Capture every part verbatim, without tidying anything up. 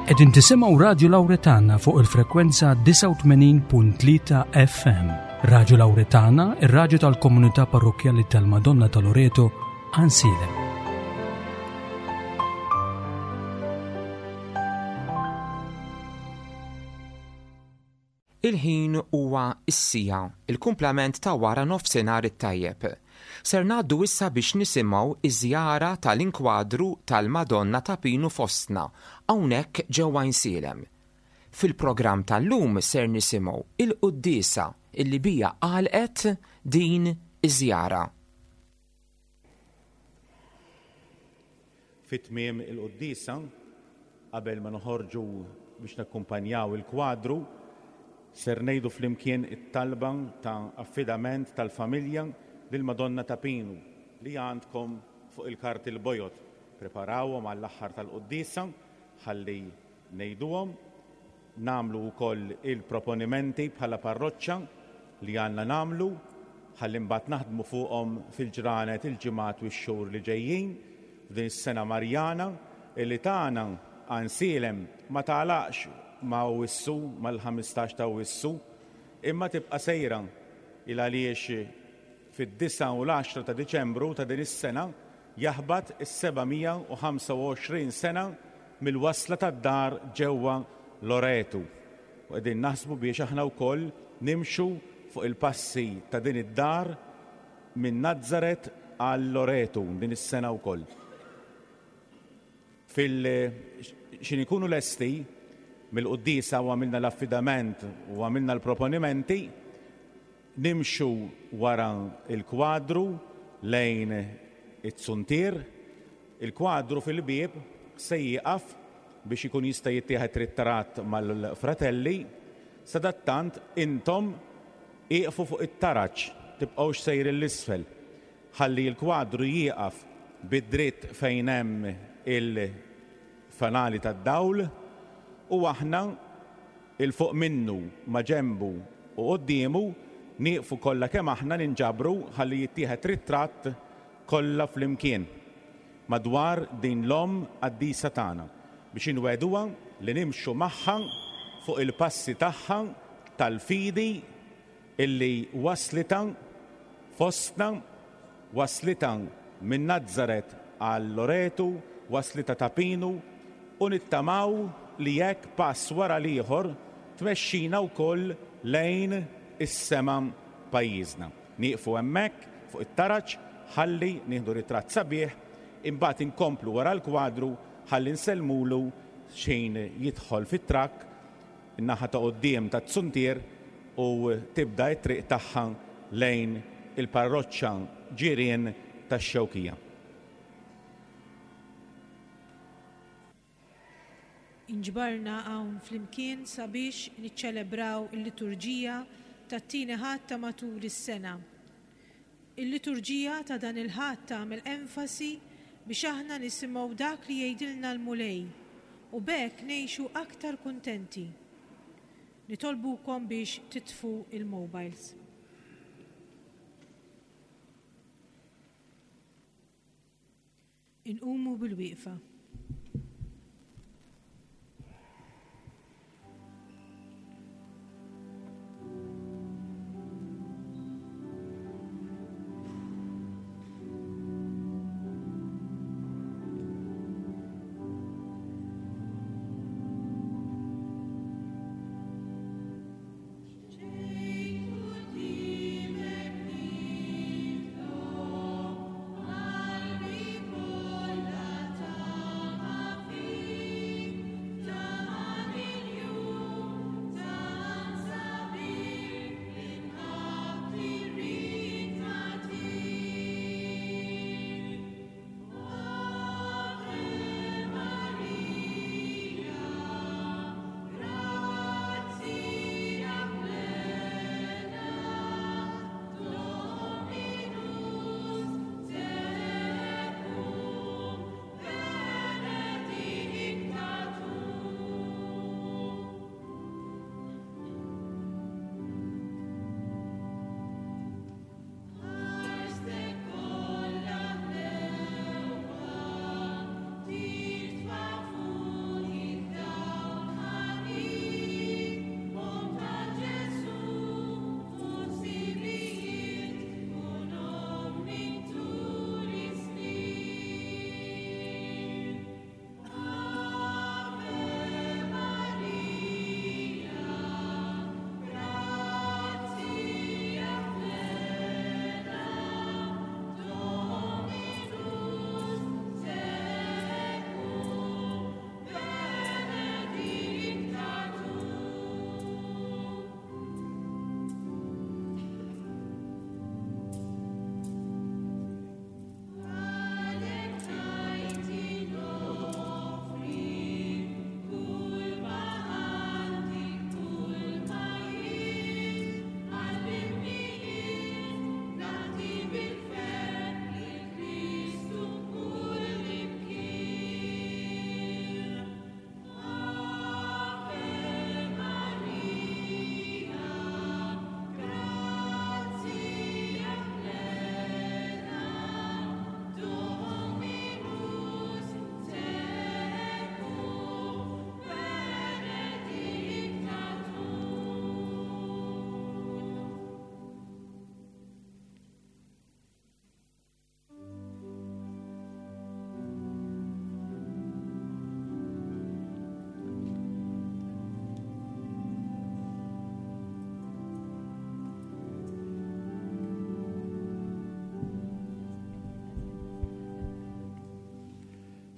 Qegħdin tisimgħu Radju Lawretana fuq il-frekwenza disgħa u tmenin punt tlieta F M. Radju Lawretana, ir-radju tal-Komunità Parrokkjali tal-Madonna ta' Loreto, Għajnsielem. Il-ħin huwa is-siegħa, il-kumplament ta' wara nofsinhar it-tajjeb. Ser ngħaddu issa biex nisimgħu iż-żjara tal-inkwadru tal-Madonna ta' Pinu fostna hawnhekk ġewwa Għajnsielem. Fil-programm tal-lum ser nisimgħu il-quddiesa illi bija għalqet din iż-żjara. Fit-tmiem il-quddiesa, qabel ma noħorġu biex nakkumpanjaw il-kwadru, ser ngħidu flimkien it-talba ta' affidament tal-familja lil Madonna ta' Pinu li għandkom fuq il-karti l-bojod. Preparawhom għall-aħħar tal-quddiesa ħalli ngħiduhom. Nagħmlu wkoll il-proponimenti bħala parroċċa li għandna nagħmlu ħalli mbagħad naħdmu fuqhom fil-ġranet, il-ġimgħat u x-xhur li ġejjin f'din is-sena Marjana illi tagħna Għajnsielem ma tagħlaqx ma' Awwissu, mal-ħmistax ta' Awwissu, imma tibqa' sejra il għaliex fid-disgħa u l-għaxra ta' Diċembru ta' din is-sena jaħbat is-seba' mija u ħamsa u għoxrin sena mill-wasla tad-dar ġewwa Loretu. U qegħdin naħsbu biex aħna wkoll nimxu fuq il-passi ta' din id-dar minn Nazzaret għal Loretu din is-sena wkoll. Fil x'ħin ikunu lesti mill-quddiesa u għamilna l-affidament u għamilna l-proponimenti, nimxu wara il-kwadru lejn it-zuntier. Il-kwadru fil-bieb se jieqaf biex ikun jista' jittieħed ritratt mal-fratelli. Sadattant intom ieqfu fuq it-taraġ, tibqgħux sejrin 'l isfel. Ħalli l-kwadru jieqaf bid-dritt fejn hemm il-fanali tad-dawl u aħna 'il fuq minnu, ma' ġembu u qoddiemu nieqfu kollha kemm aħna, ninġabru ħalli jittieħed ritratt kollha flimkien madwar din l-omm qaddisa tagħna biex inwegħduha li nimxu magħha fuq il-passi tagħha tal-fidi illi waslita fostna, waslita minn Nazzaret għal Loretu, waslita ta' Pinu, u nittamaw li jekk pass wara l-ieħor tmexxina wkoll lejn is-sema pajjiżna. Nieqfu hemmhekk fuq it-taraġ ħalli nieħdu ritratt sabiħ, imbagħad inkomplu wara l-kwadru ħalli nsellmulu x'ħin jidħol fit-trakk in-naħa ta' quddiem ta' zuntier u tibda t-triq tagħha lejn il-parroċċa ġirien tax-Xewkija. Inġbarna hawn flimkien sabiex niċċelebraw il-liturġija tat-tieni Ħadd ta' matul is-sena. Il-liturġija ta' dan il-Ħadd tagħmel enfasi biex aħna nisimgħu dak li jgħidilna l-Mulej u b'hekk ngħixu aktar kuntenti. Nitolbukom biex titfu il-mobiles. Inqumu bil-wieqfa.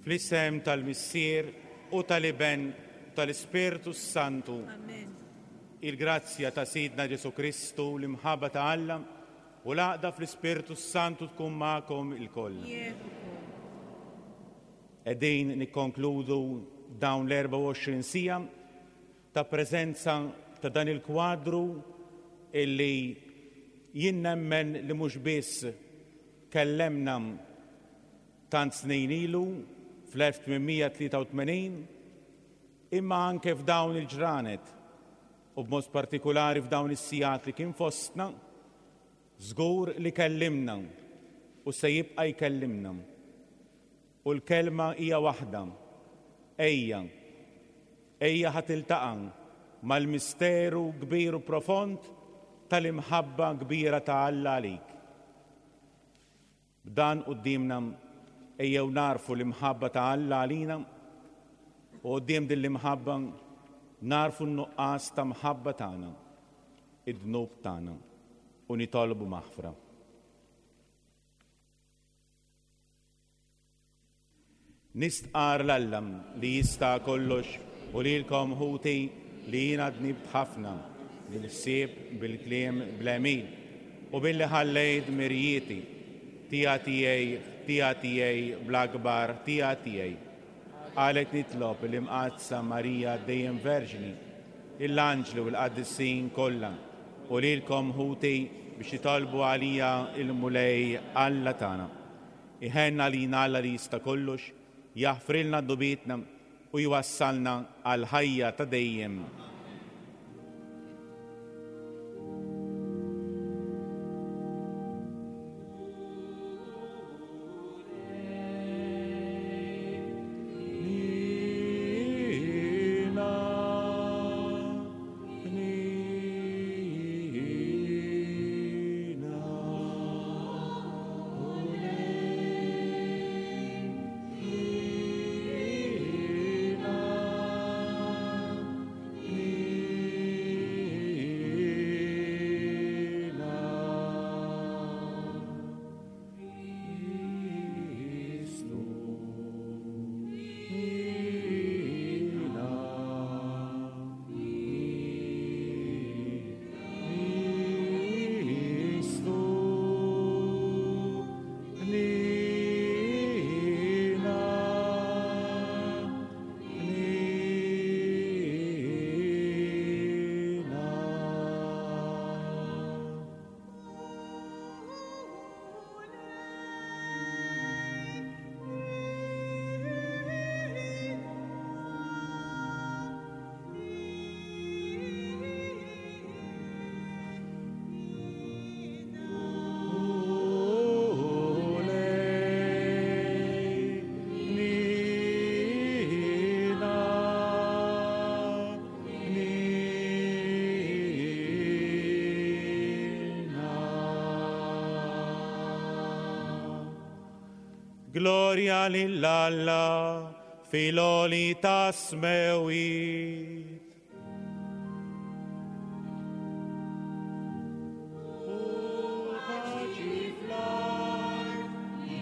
Fl-isem tal-Missier u tal-Iben tal-Ispirtu Santu. Amen. Il-grazzja ta' Sidna Ġesu Kristu, l-imħabba ta' Alla u l-għaqda fl-Ispirtu Santu tkun magħkom ilkoll. Miegħek ukoll. Qegħdin nikkonkludu dawn l-erbgħa u għoxrin siegħa ta' preżenza ta' dan il-kwadru illi jien nemmen li mhux biss kellemna tant snin ilu fl-elf tmien mija tlieta u tmenin, imma anke f'dawn il-ġranet u b'mod partikolari f'dawn is-sigħat li kien fostna, żgur li kellimna u se jibqa' jkellimna. U l-kelma hija waħda, ejja, ejja ħa tiltaqa' mal-misteru kbir u profond tal-imħabba kbira ta' Alla għalik. B'dan quddiemna ejjew narfu l-imħabba ta' Alla għalina u quddiem din l-imħabba narfu n-nuqqas ta' mħabba tagħna, id-dnub tagħna, u nitolbu maħfra. Nistqar l-Alla li jista' kollox u lilkom ħuti li jiena dnibt ħafna bil-ħsieb, bil-kliem, bl-għemil u billi ħallejt mirjieti tija tiegħi, tija tiegħi, bl-akbar tija tiegħi. Għalhekk nitlob l-Imqaddsa Marija dejjem Verġni, l-anġli u l-qaddisin kollha u lilkom ħuti biex jitolbu għalija il-Mulej Alla tagħna. Iħenna lina Alla li jista' kollox, jaħfrilna dnubietna u jwassalna għal ħajja ta' dejjem. Gloria lil Alla fil-għoli tas-smewwiet. U paċi fl-art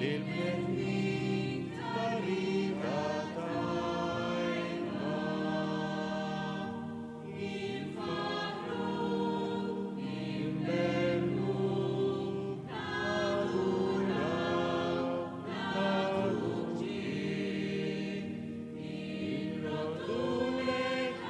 lil-bnedmin ta' rieda tajba. Irrodulek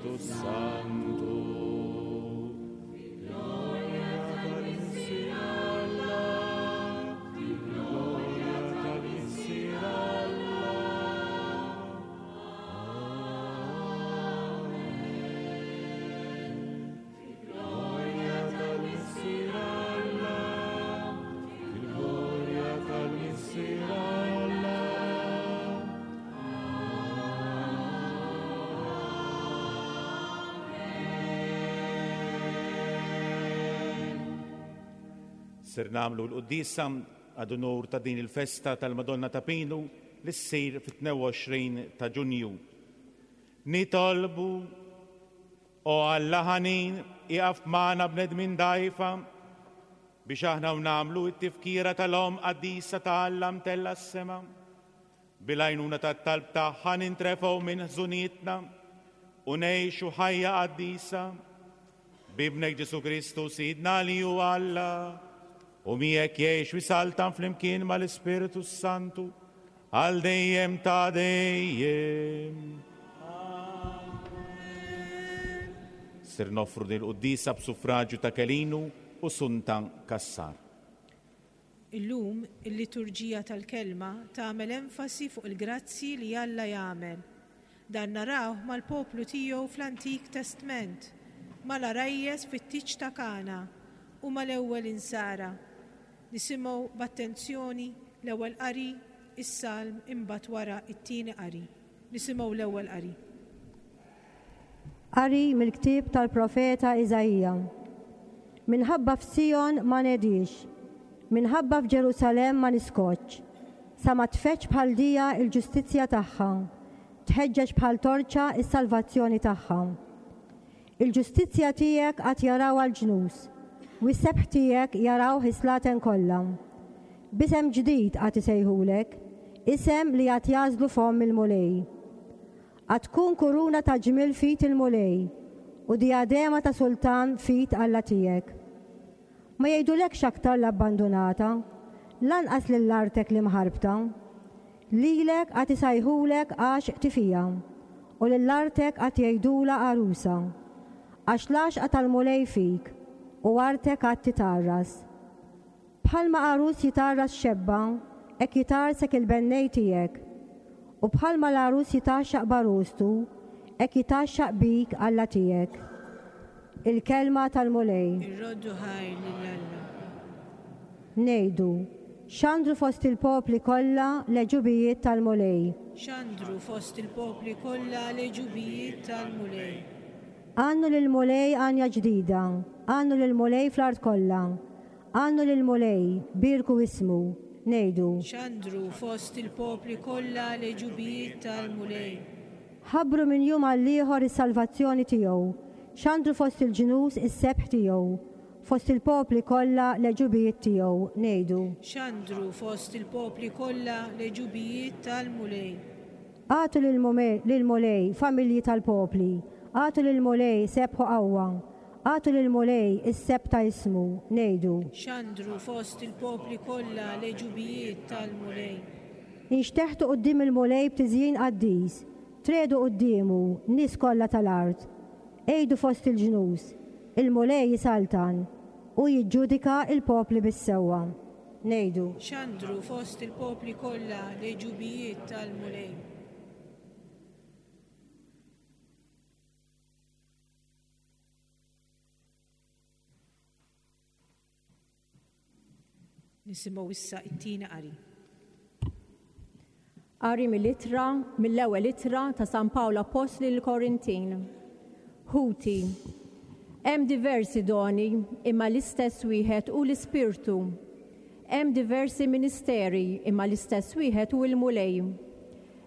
tal-Ispirtu Santu. Fil-glorja tal-Missier Alla, fil-glorja tal-Missier Alla. Amen. Fil-glorja tal-Missier Alla, fil-glorja tal-Missier Alla. Ser nagħmlu l-quddiesa għad unur ta' din il-festa tal-Madonna ta' Pinu li ssir fit-tnejn u għoxrin ta' Ġunju. Nitolbu, o Alla ħanin, ieqaf magħna bnedmin dgħajfa biex aħna u nagħmlu t-tifkira tal-Omm qaddisa ta' Alla mtella s-sema. Bil-għajnuna tat-talb tagħha nintrefgħu minn ħżunietna u ngħixu ħajja qaddisa. B'Ibnek Ġesu Kristu Sidna li hu Alla, u miegħek jgħix u jsaltan flimkien mal-Ispirtu Santu għal dejjem ta' dejjem. Amen. Ser noffru din il-quddiesa b'suffraġġju ta' Kelinu u Sunta Kassar. Illum il-liturġija tal-kelma tagħmel enfasi fuq il-grazzi li Alla jagħmel. Dan narawh mal-poplu tiegħu fl-Antik Testment, mal-għarajjes fit-tieġ ta' Kana u mal-ewwel insara. Nisimgħu b'attenzjoni l-ewwel qari, is-salm, imbagħad wara it-tieni qari. Nisimgħu l-ewwel qari. Qari mill-ktieb tal-profeta Iżaija. Minħabba f'Sijon ma nedix, minħabba f'Ġerusalemm ma niskotx, sa ma tfeġġ bħal dija l-ġustizzja tagħha, tħeġġeġ bħal torċa s-salvazzjoni tagħha. Il-ġustizzja tiegħek għad jarawha l-ġnus, u s-sebħ tiegħek jarawh is-slaten kollha. B'isem ġdid għad isejħulek, isem li għad jażlu fomm il-Mulej. Għad tkun kuruna ta' ġmiel fit il-Mulej u diadema ta' sultan fit Alla tiegħek. Ma jgħidulekx aktar l-abbandunata, lanqas lill-artek li mħarbta. Lilek għad isejħulek għax tifija, u lill-artek għad jgħidula għarusa. Għax l-għaxqa tal-Mulej fik, u artek għad titarras. Bħalma għarus jitarras xebba, hekk jitarsek il-bennej tiegħek. U bħalma l-għarus jitaxxaq barustu, hekk jitaxxaq bik Alla tiegħek. Il-kelma tal-Mulej. Irroddu ħajr lil Alla. Ngħidu, xandru fost il-popli kollha l-għeġubijiet tal-Mulej. Xandru fost il-popli kollha l-għeġubijiet tal-Mulej. Għannu lill-Mulej għanja ġdida, għannu lill-Mulej fl-art kollha. Għannu lill-Mulej, birku ismu, ngħidu. Xandru fost il-popli kollha l-għeġubijiet tal-Mulej. Ħabbru minn jum għall-ieħor is-salvazzjoni tiegħu, xandru fost il-ġnus is-sebħ tiegħu, fost il-popli kollha l-għeġubijiet tiegħu, ngħidu. Xandru fost il-popli kollha l-għeġubijiet tal-Mulej. Agħtu lill-Mulej, familji tal-popli, agħtu lill-Mulej sebħu qawwa, agħtu lill-Mulej is-sebħ ta' ismu, ngħidu. Xandru fost il-popli kollha l-għeġubijiet tal-Mulej. Inxteħtu quddiem il-Mulej b'tiżjin qaddis, tredu quddiemu nies kollha tal-art. Ejdu fost il-ġnus, il-Mulej jisaltan u jiġġudika il-popli bis-sewwa. Ngħidu. Xandru fost il-popli kollha l-għeġubijiet tal-Mulej. Nisimgħu issa it-tieni qari. Qari mill-ittra, mill-ewwel ittra ta' San Pawl Appostli lill-Korintin. Ħuti, hemm diversi doni imma l-istess wieħed hu l-Ispirtu. Hemm diversi ministeri imma l-istess wieħed hu l-Mulej.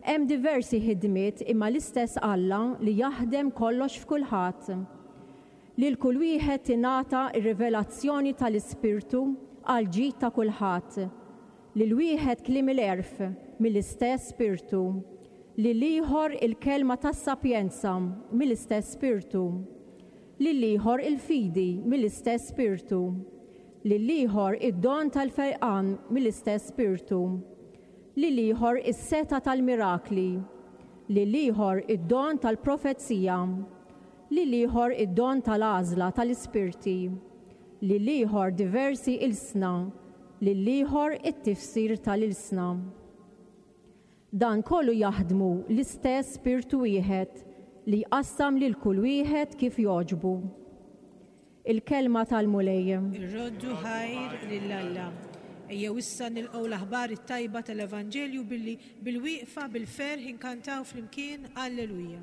Hemm diversi ħidmiet imma l-istess Alla li jaħdem kollox f'kulħadd. Lil kull wieħed tingħata r-rivelazzjoni tal-Ispirtu għal ġid ta' kulħadd. Lil wieħed kliem il-għerf mill-istess Spirtu, lil ieħor il-kelma tas-sapjenza mill-istess Spirtu, lil ieħor il-fidi mill-istess Spirtu, lil ieħor id-don tal-fejqan mill-istess Spirtu, lil ieħor is-seta tal-mirakli, lil ieħor id-don tal-profezija, lil ieħor id-don tal-għażla tal-ispirti, lil ieħor diversi ilsna, lil ieħor it-tifsir tal-ilsna. Dan kollu jaħdmu l-istess spirtu wieħed li jqassam lil kull wieħed kif jogħġbu. Il-kelma tal-Mulej. Irroddu ħajr lil Alla. Ejjew issa nilqgħu l-aħbar it-tajba tal-Evanġelju billi bil-wieqfa bil-ferħ inkantaw flimkien Alleluja.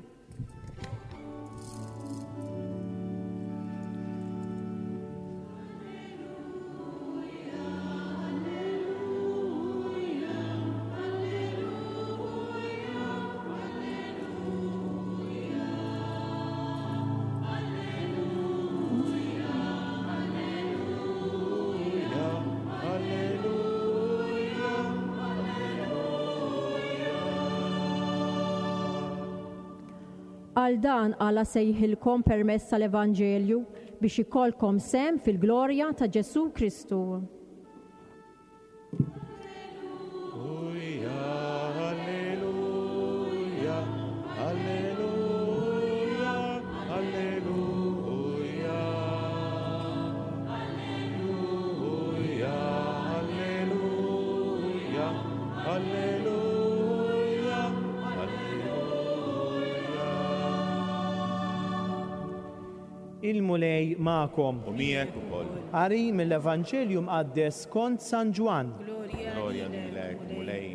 Għal dan Alla sejħilkom permezz tal-Evanġelju biex ikollkom sehem fil-glorja ta' Ġesù Kristu. Alleluja, alleluja, alleluja. Alleluja, alleluja, alleluja, alleluja. Il-Mulej magħkom. U miegħek ukoll. Qari mill-Evanġelju mqaddes kont San Ġwann. Glorja lilek, Mulej.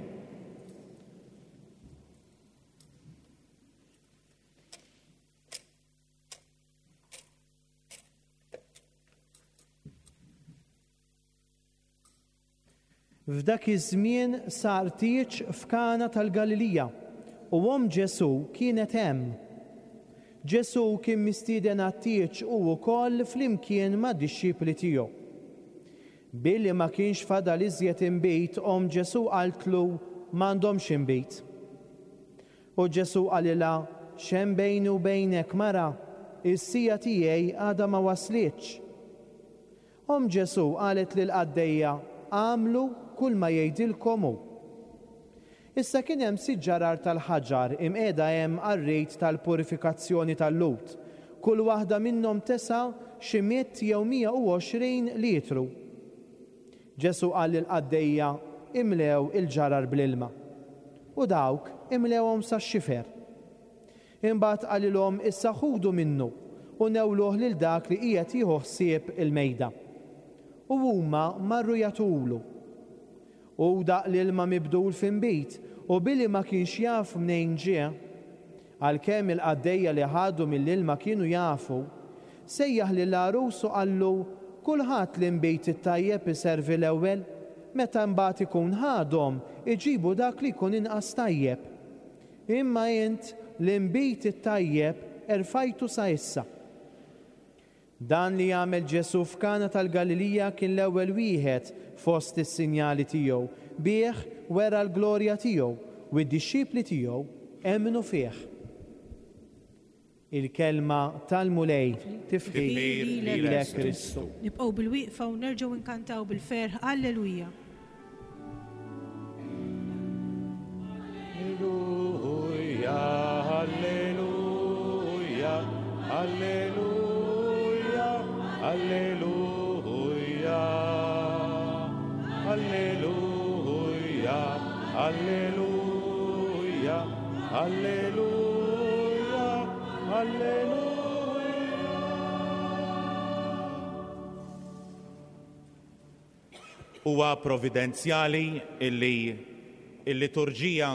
F'dak iż-żmien sar tieġ f'Kana tal-Galilija u omm Ġesù kienet hemm. Ġesù kien mistieden għat-tieġ u wkoll flimkien mad-dixxipli tiegħu. Billi ma kienx fadal iżjed inbid, omm Ġesù qaltlu m'għandhomx inbid. U Ġesù qalilha, x'hemm bejni u bejnek mara, is-sija tiegħi għadha ma waslitx. Omm Ġesù qalet lill-qaddejja, għamlu kull ma jgħidilkom hu. Issa kien hemm sitt ġarar tal-ħaġar imqiegħda hemm għar-rit tal-purifikazzjoni tal-Lhud. Kull waħda minnhom tesa' xi mitt jew mija u għoxrin litru. Ġesù qal lill-qaddejja, imlew il-ġarar bl-ilma. U dawk imlewhom sax-xifer. Imbagħad qalilhom, issa ħudu minnu u newluh lil dak li qiegħed jieħu ħsieb il-mejda. U huma marru jagħtulu. U daq l-ilma mibdul f'inbid, u billi ma kienx jaf mnejn ġie, għalkemm il-qaddejja li ħadu mill-ilma kienu jafu, sejjaħ lill-għarus u qallu, kulħadd l-inbid it-tajjeb iservi l-ewwel, meta mbagħad ikun ħadhom iġibu dak li jkun inqas tajjeb. Imma int l-inbid it-tajjeb erfajtu sa issa. Dan li għamel Ġesù f'Kana tal-Galilija kien l-ewwel wieħed fost is-sinjali tiegħu, bih wera l-glorja tiegħu u d-dixxipli tiegħu emmnu fih. Il-kelma tal-Mulej, tifħir lilek Kristu. Nibqgħu bil-wieqfa u nerġgħu nkantaw bil-ferħ Alleluja. Alleluja, alleluja, alleluja, alleluja, alleluja, alleluja, alleluja, alleluja. Huwa providenzjali illi il-liturġija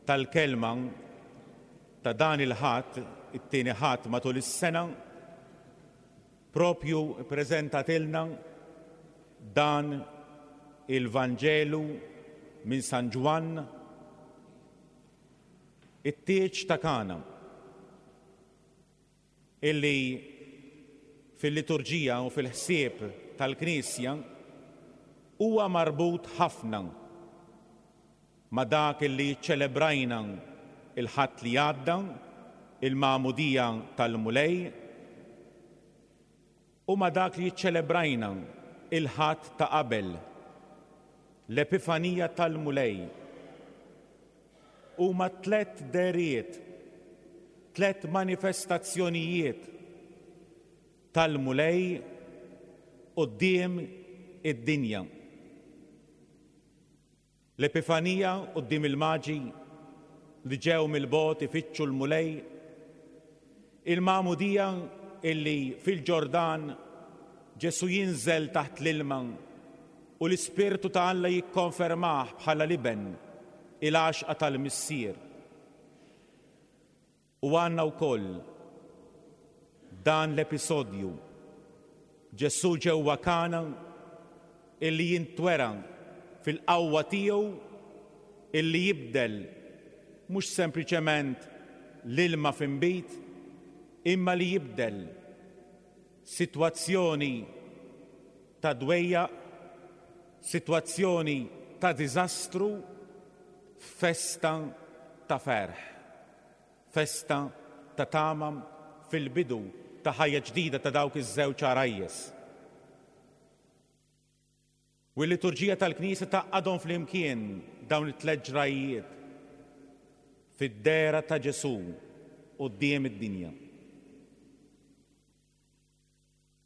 tal-kelma ta' dan il-ħadd, it-tieni ħadd matul is-sena, propju ppreżentatilna dan il-Vanġelu minn San Ġwann, it-tieġ ta' Kana, illi fil-liturġija u fil-ħsieb tal-Knisja huwa marbut ħafna ma' dak illi ċelebrajna il-ħadd li għadda, il-magħmudija tal-Mulej, u ma' dak li ċelebrajna il-ħadd ta' qabel, l-Epifanija tal-Mulej. Huma tliet dehriet, Tlet manifestazzjonijiet tal-Mulej quddiem id-dinja. L-Epifanija quddiem il-Maġi li ġew mill-bogħod ifittxu l-Mulej, il-Magħmudija illi fil-Ġordan Ġesu jinżel taħt l-ilma u l-Ispirtu ta' Alla jikkonfermah bħala l-Iben, il-għaxqa tal-Missier. U għandna wkoll dan l-episodju Ġesu ġewwa Kana illi jintwera fil-qawwa tiegħu illi jibdel mhux sempliċement l-ilma f'inbid, imma li jibdel sitwazzjoni ta' dwejjaq, sitwazzjoni ta' diżastru, festa ta' ferħ, festa ta' tama fil-bidu ta' ħajja ġdida ta' dawk iż-żewġ għarajjes. U l-liturġija tal-Knisja tgħaqqadhom flimkien dawn it-tliet ġrajjiet fid-dehra ta' Ġesu quddiem id-dinja.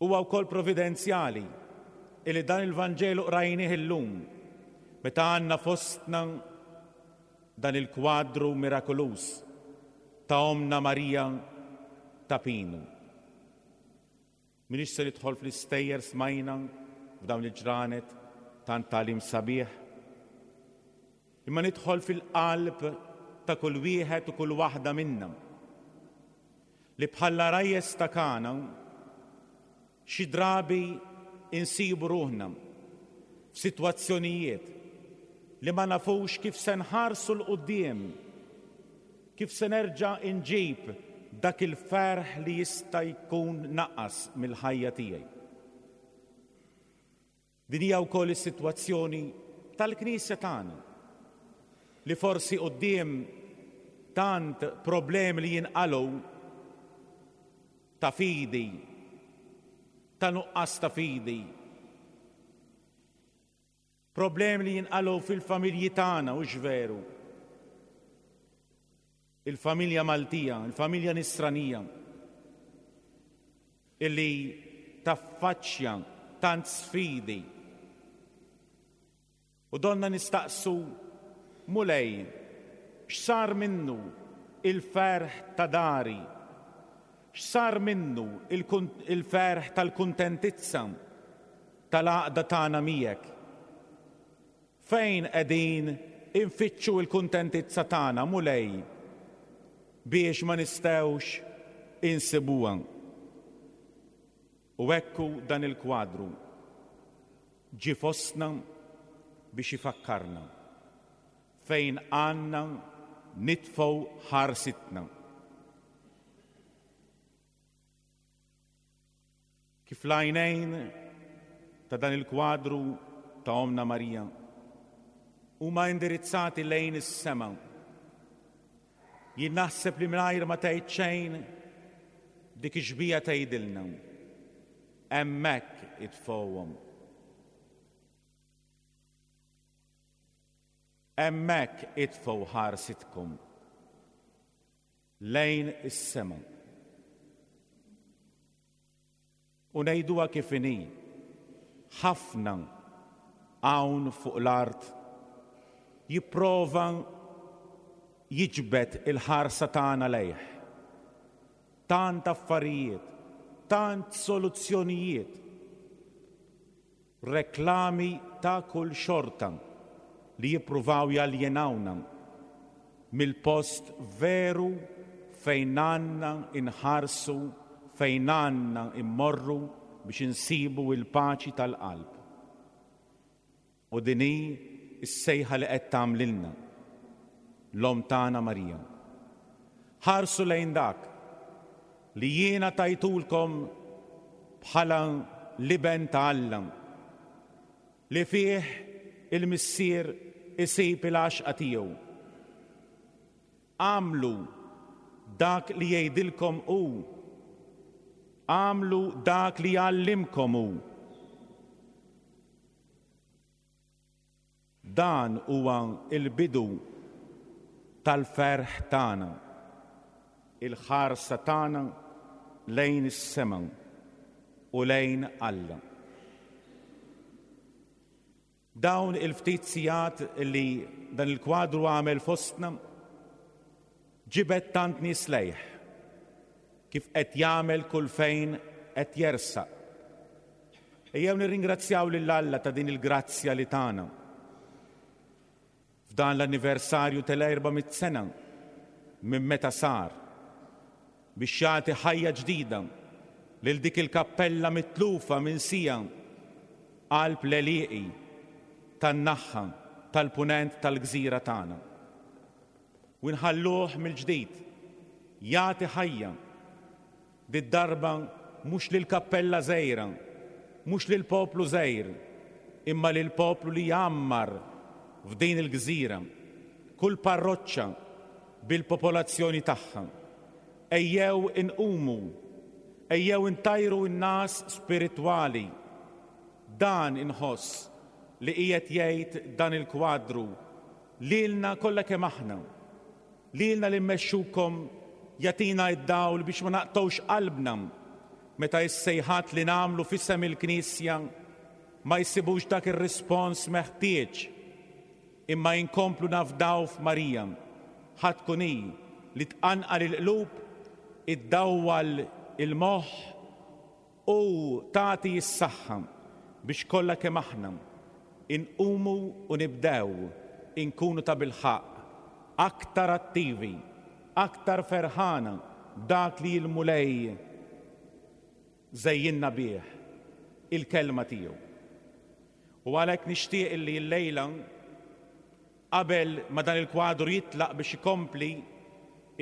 Huwa wkoll providenzjali illi dan il-Vanġelu qrajnieh illum meta għandna fostna dan il-kwadru mirakoluż ta' Omna Marija ta' Pinu. M'iniex se nidħol fl-istejjer smajna f'dawn il-ġranet tant tagħlim sabiħ, imma nidħol fil-qalb ta' kull wieħed u kull waħda minna li bħall-għarajjes ta' Kana xi drabi insibu ruħna f'sitwazzjonijiet li ma nafux kif se nħarsu 'l quddiem, kif se nerġa' inġib dak il-ferħ li jista' jkun naqas mill-ħajja tiegħi. Din hija wkoll is-sitwazzjoni tal-Knisja tagħna li forsi quddiem tant problemi li jinqalgħu ta' fidi, ta' nuqqas ta' fidi, problemi li jinqalgħu fil-familji tagħna, hux veru. Il-familja Maltija, il-familja Nisranija, illi taffaċċja tant sfidi. U donna nistaqsu, Mulej, x'sar minnu il-ferħ ta' dari? X'sar minnu il-ferħ tal-kuntentizza tal-għaqda tagħna miegħek? Fejn qegħdin infittxu l-kuntentizza tagħna, Mulej, biex ma nistgħux insibuha? U ekku dan il-kwadru ġie fostna biex ifakkarna fejn għandna nitfgħu ħarsitna. Kif l-għajnejn ta' dan il-kwadru ta' Omna Marija huma indirizzati lejn is-sema, jien naħseb li mingħajr ma tgħid xejn dik ix-xbieha tgħidilna hemmhekk itfgħuhom. Hemmhekk itfgħu ħarsitkom lejn is-sema. U ngħiduha kif inhi, ħafna hawn fuq l-art jipprova jiġbed il-ħarsa tagħna lejh. Tant affarijiet, tant soluzzjonijiet, reklami ta' kull xorta li jippruvaw jaljenawna mill-post veru fejn għandna inħarsu, fejn għandna immorru biex insibu il-paċi tal-qalb. U din hi s-sejħa li qed tagħmlilna l-Omm tagħna Marija. Ħarsu lejn dak li jiena tajtulkom bħala l-Iben ta' Alla, li fih il-Missier isib il-għaxqa tiegħu. Għamlu dak li jgħidilkom hu, għamlu dak li jgħallimkom hu. Dan huwa il-bidu tal-ferħ tagħna. il-ħarsa tagħna lejn is-sema u lejn Alla. Dawn il-ftit sigħat li dan il-kwadru għamel fostna ġibed tant nies lejh kif qed jagħmel kull fejn qed jersaq. Ejjew nirringrazzjaw lil Alla ta' din il-grazzja li tana. F'dan l-anniversarju tal-erba' mitt sena minn meta sar biex jagħti ħajja ġdida lil dik il-kappella mitlufa minn sija qalb l-għelieqi tan-naħħa tal-punent tal-gżira tagħna. U nħalluh mill-ġdid jagħti ħajja did-darba mhux lil kappella żgħira, mhux lil poplu żgħir, imma lil poplu li jgħammar f'din il-gżira, kull parroċċa bil-popolazzjoni tagħha. Ejjew inqumu, ejjew intajru n-nas spiritwali. Dan inħoss li qiegħed jgħid dan il-kwadru lilna kollha kemm aħna, lilna li mmexxukom jagħtina d-dawl biex ma naqtgħux qalbna meta s-sejħat li nagħmlu f'isem il-Knisja ma jsibux dak ir-rispons meħtieġ, imma inkomplu nafdaw f'Marija, ħa tkun hi li tqanqal il-qlub, iddawwal il-moħħ u tagħti s-saħħa biex kollha kemm aħna inqumu u nibdew inkunu ta' bilħaqq aktar attivi, aktar ferħana dak li l-Mulej żejjinna bih, il-kelma tiegħu. U għalhekk nixtieq illi llejla qabel ma dan il-kwadru jitlaq biex ikompli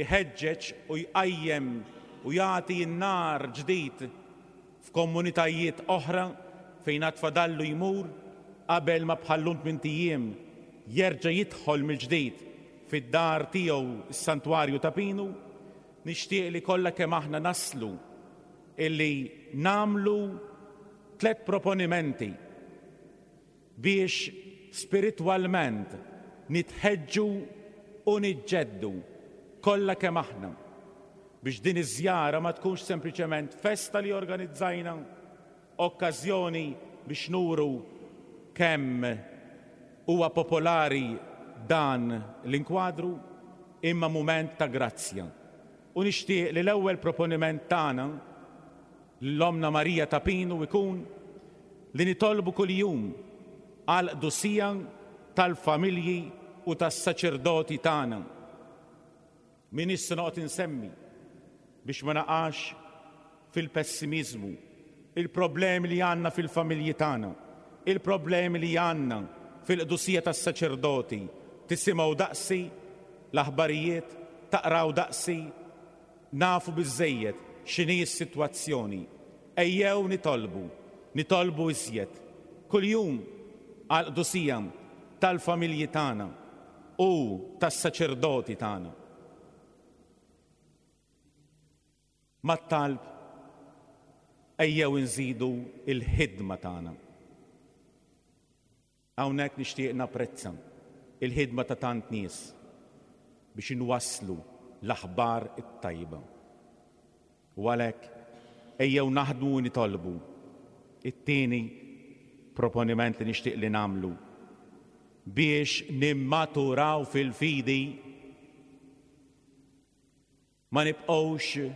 iħeġġeġ u jqajjem u jagħti n-nar ġdid f'komunitajiet oħra fejn għad fadallu jmur qabel ma bħallum tmint ijiem jerġa' jidħol mill-ġdid fid-dar tiegħu s-Santwarju ta' Pinu, nixtieq li kollha kemm aħna naslu illi namlu tliet proponimenti biex spiritwalment nitħeġġu u niġġeddu kollha kemm aħna biex din iż-żjara ma tkunx sempliċement festa li organizzajna, okkażjoni biex nuru kemm huwa popolari dan l-inkwadru, imma mument ta' grazzja. U nixtieq li l-ewwel proponiment tagħna l-Omna Marija ta' Pinu ikun li nitolbu kuljum għal qdusija tal-familji u tas-saċerdoti tagħna. Min issa noqgħod insemmi biex ma naqax fil-pessimiżmu, il-problemi li għandna fil-familji tagħna, il-problemi li għandna fil-qdusija tas-saċerdoti. Tisimgħu daqsi l-aħbarijiet, taqraw daqsi, nafu biżżejjed x'inhi s-sitwazzjoni. Ejjew nitolbu, nitolbu iżjed kuljum għall-qdusija tal-familji tagħna u tas-saċerdoti tagħna. Mat-talb ejjew inżidu il-ħidma tagħna. Hawnhekk nixtieq napprezza il-ħidma ta' tant nies biex inwasslu l-aħbar it-tajba. U għalhekk ejjew naħdmu u nitolbu. It-tieni proponiment li nixtieq li nagħmlu biex nimmaturaw fil-fidi, ma nibqgħux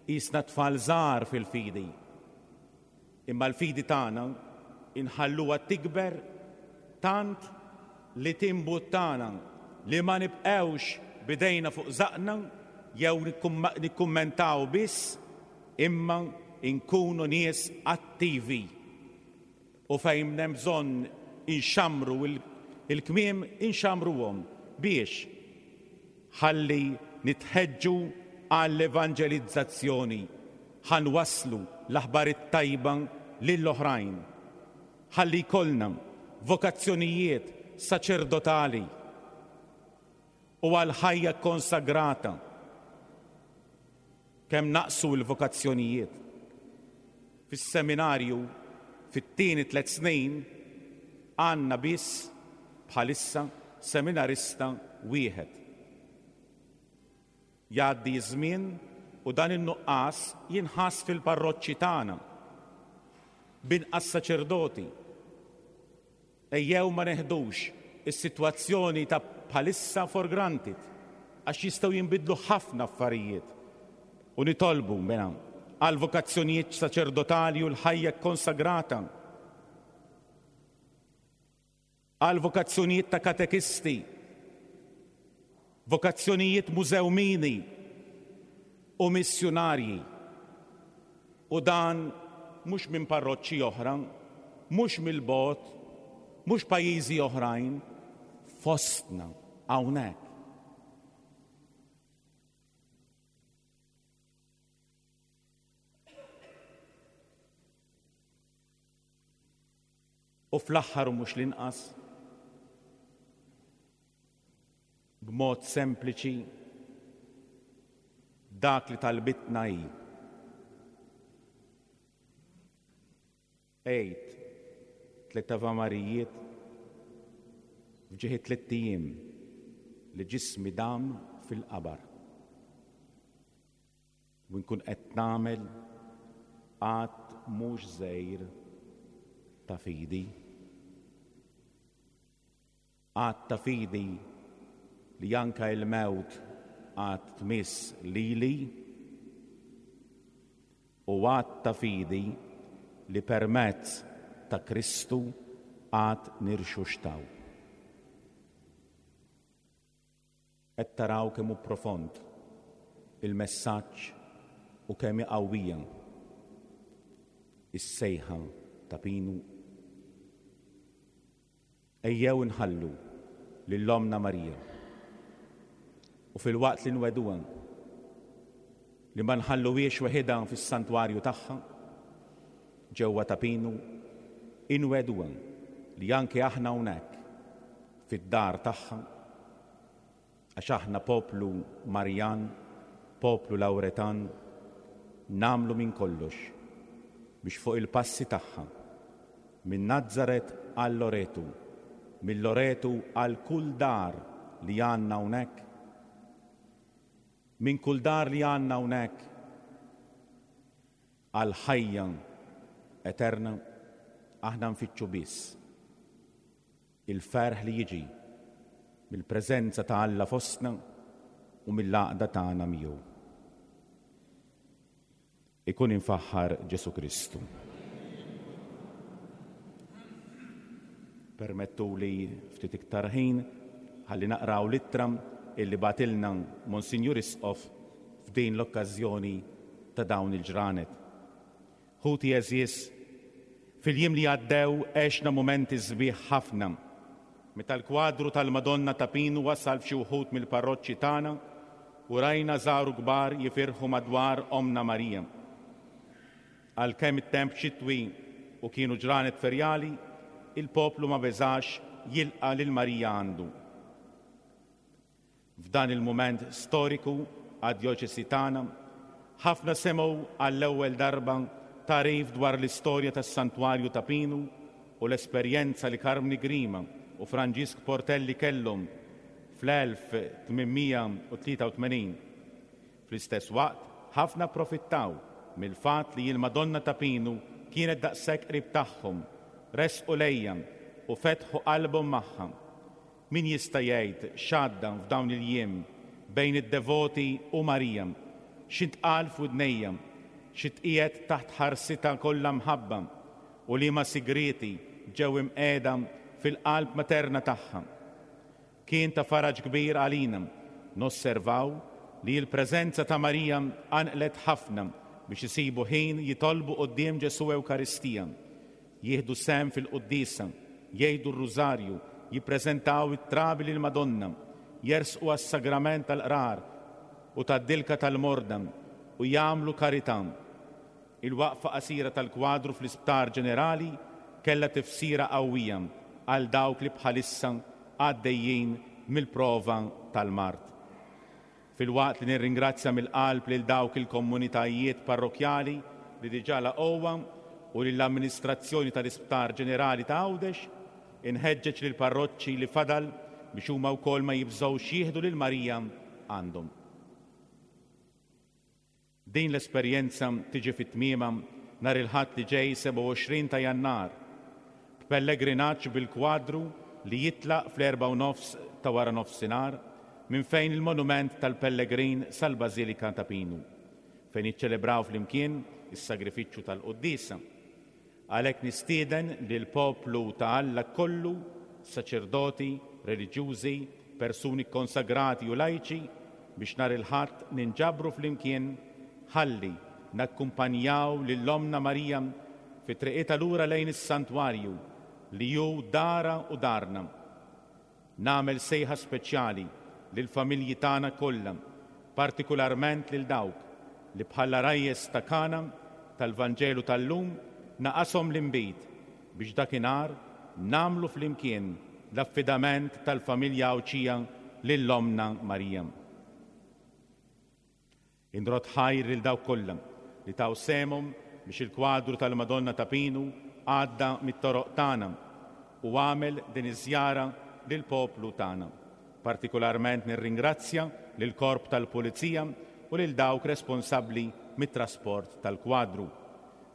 qisna tfal żgħar fil-fidi, imma l-fidi tagħna inħalluha tikber tant li timbuttana li ma nibqgħux bidejna fuq żaqna jew nikkummentaw biss, imma inkunu nies attivi. U fejn hemm bżonn inxamru il-kmiem, inxamruhom biex ħalli nitħeġġu għall-evanġelizzazzjoni, ħanwasslu l-aħbar it-tajba lill-oħrajn, ħalli jkollna vokazzjonijiet saċerdotali u għal ħajja konsagrata. Kemm naqsu l-vokazzjonijiet fis-seminarju fit-tieni tliet snin għandna biss bħalissa seminarista wieħed. Jgħaddi ż-żmien u dan in-nuqqas jinħass fil-parroċċi tagħna b'inqas saċerdoti. Ejjew ma neħdux is-sitwazzjoni ta' bħalissa for granted, għax jistgħu jinbidlu ħafna affarijiet. U nitolbu mela għal vokazzjonijiet saċerdotali u l-ħajja konsagrata, għal vokazzjonijiet ta' katekisti, vokazzjonijiet mużewmini u missjunarji. U dan mhux minn parroċċi oħra, mhux mill-bogħod, mhux pajjiżi oħrajn, fostna hawnhekk. U fl-aħħar u mhux l-inqas, b'mod sempliċi, dak li talbitna hi. Għid tliet Ave Marijiet f'ġieħi tliet ijiem li ġismi dam fil-qabar. U nkun qed nagħmel att mhux żgħir ta' fidi. Att ta' fidi li anka il-mewt għad tmiss lili, u att ta' fidi li permezz ta' Kristu għad nirxuxtaw. Qed taraw kemm hu profond il-messaġġ u kemm hi qawwija is-sejħa ta' Pinu. Ejjew inħallu lil Ommna Marija u fil-waqt li nweduha li ma nħalluhiex weħidha fis-santwarju tagħha ġewwa ta' Pinu, inweduha li anke aħna hawnhekk fid-dar tagħha, għax aħna poplu Marjan, poplu Lawretan, nagħmlu minn kollox biex fuq il-passi tagħha, minn Nazzaret għal Loretu, minn Loretu għal kull dar li għandna hawnhekk, minn kull dar li għandna hawnhekk għal ħajja eterna, aħna nfittxu biss il-ferħ li jiġi mill-preżenza ta' Alla fostna u mill-għaqda tagħna miegħu. Ikun infaħħar Ġesu Kristu. Permettuli ftit iktar ħin ħalli naqraw l-ittra illi batilna Monsinjur Isqof f'din l-okkażjoni ta' dawn il-ġranet. Ħuti għeżież, fil-jiem li għaddew għexna mumenti sbieħ ħafna meta l-kwadru tal-Madonna ta' Pinu wasal f'xi wħud mill-parroċċi tagħna u rajna żaru kbar jifirħu madwar Ommna Marija. Għalkemm it-temp xitwi u kienu ġranet ferjali, il-poplu ma beżax jilqa' lil Marija għandu. F'dan il-mument storiku għad-djoċesi tagħna, ħafna semgħu għall-ewwel darba tagħrif dwar l-istorja tas-Santwarju ta' Pinu u l-esperjenza li Karmni Grima u Franġisk Portelli kellhom fl-elf tmien u tlieta u tmenin. Fl-istess waqt, ħafna approfittaw mill-fatt li l-Madonna ta' Pinu kienet daqshekk qrib tagħhom, resqu lejja u fetħu qalbhom magħha. Min jista' jgħid x'għadda f'dawn il-jiem bejn id-devoti u Marija, x'intqal f'widnejja, xi tqiegħed taħt ħarsitha kollha mħabba u liema sigrieti ġew imqiegħda fil-qalb materna tagħha. Kien ta' faraġ kbir għalina nosservaw li l-preżenza ta' Marija anqlet ħafna biex isibu ħin jitolbu quddiem Ġesu Ewkaristija, jieħdu sehem fil-quddiesa, jgħidu r-rużarju, jippreżentaw it-trabi lil Madonna, jersqu għas-sagrament tal-qrar u tad-dilka tal-morda u jagħmlu karità. Il-waqfa qasira tal-kwadru fl-Isptar Ġenerali kellha tifsira qawwija għal dawk li bħalissa għaddejjin mill-prova tal-mard. Filwaqt li nirringrazzja mill-qalb lil dawk il-komunitajiet parrokjali li diġà laqgħuha u lill-amministrazzjoni tal-Isptar Ġenerali ta' Għawdex, inħeġġeġ lil parroċċi li fadal biex huma wkoll ma jibżgħux jieħdu lil Marija għandhom. Din l-esperjenza tiġi fit-tmiema nhar il-Ħadd li ġej sebgħa u għoxrin ta' Jannar, b'pellegrinaġġ bil-kwadru li jitlaq fl-erbgħa u nofs ta' wara nofsinhar minn fejn il-monument tal-Pellegrin sal-Bażilika ta' Pinu, fejn jiċċelebraw flimkien is-sagrifiċċju tal-Quddiesa. Għalhekk nistieden lil poplu ta' Alla kollu, saċerdoti, reliġjużi, persuni konsagrati u lajċi, biex nhar il-Ħadd ninġabru flimkien ħalli nakkumpanjaw lil Ommna Marija fi triqitha lura lejn is-santwarju li hu dara u darna. Nagħmel sejħa speċjali lill-familji tagħna kollha, partikularment lil dawk li bħala rajjes ta' Kana tal-Vanġelu tal-lum naqashom l-inbid biex dakinhar nagħmlu flimkien l-affidament tal-familja Għawdxija lil Ommna Marija. Inrod ħajr lil dawk kollha li taw sehemhom biex il-kwadru tal-Madonna ta' Pinu għadda mit-toroq tagħna u għamel din iż-żjara lill-poplu tagħna. Partikolarment nirringrazzja lill-Korp tal-Pulizija u lil dawk responsabbli mit-trasport tal-kwadru.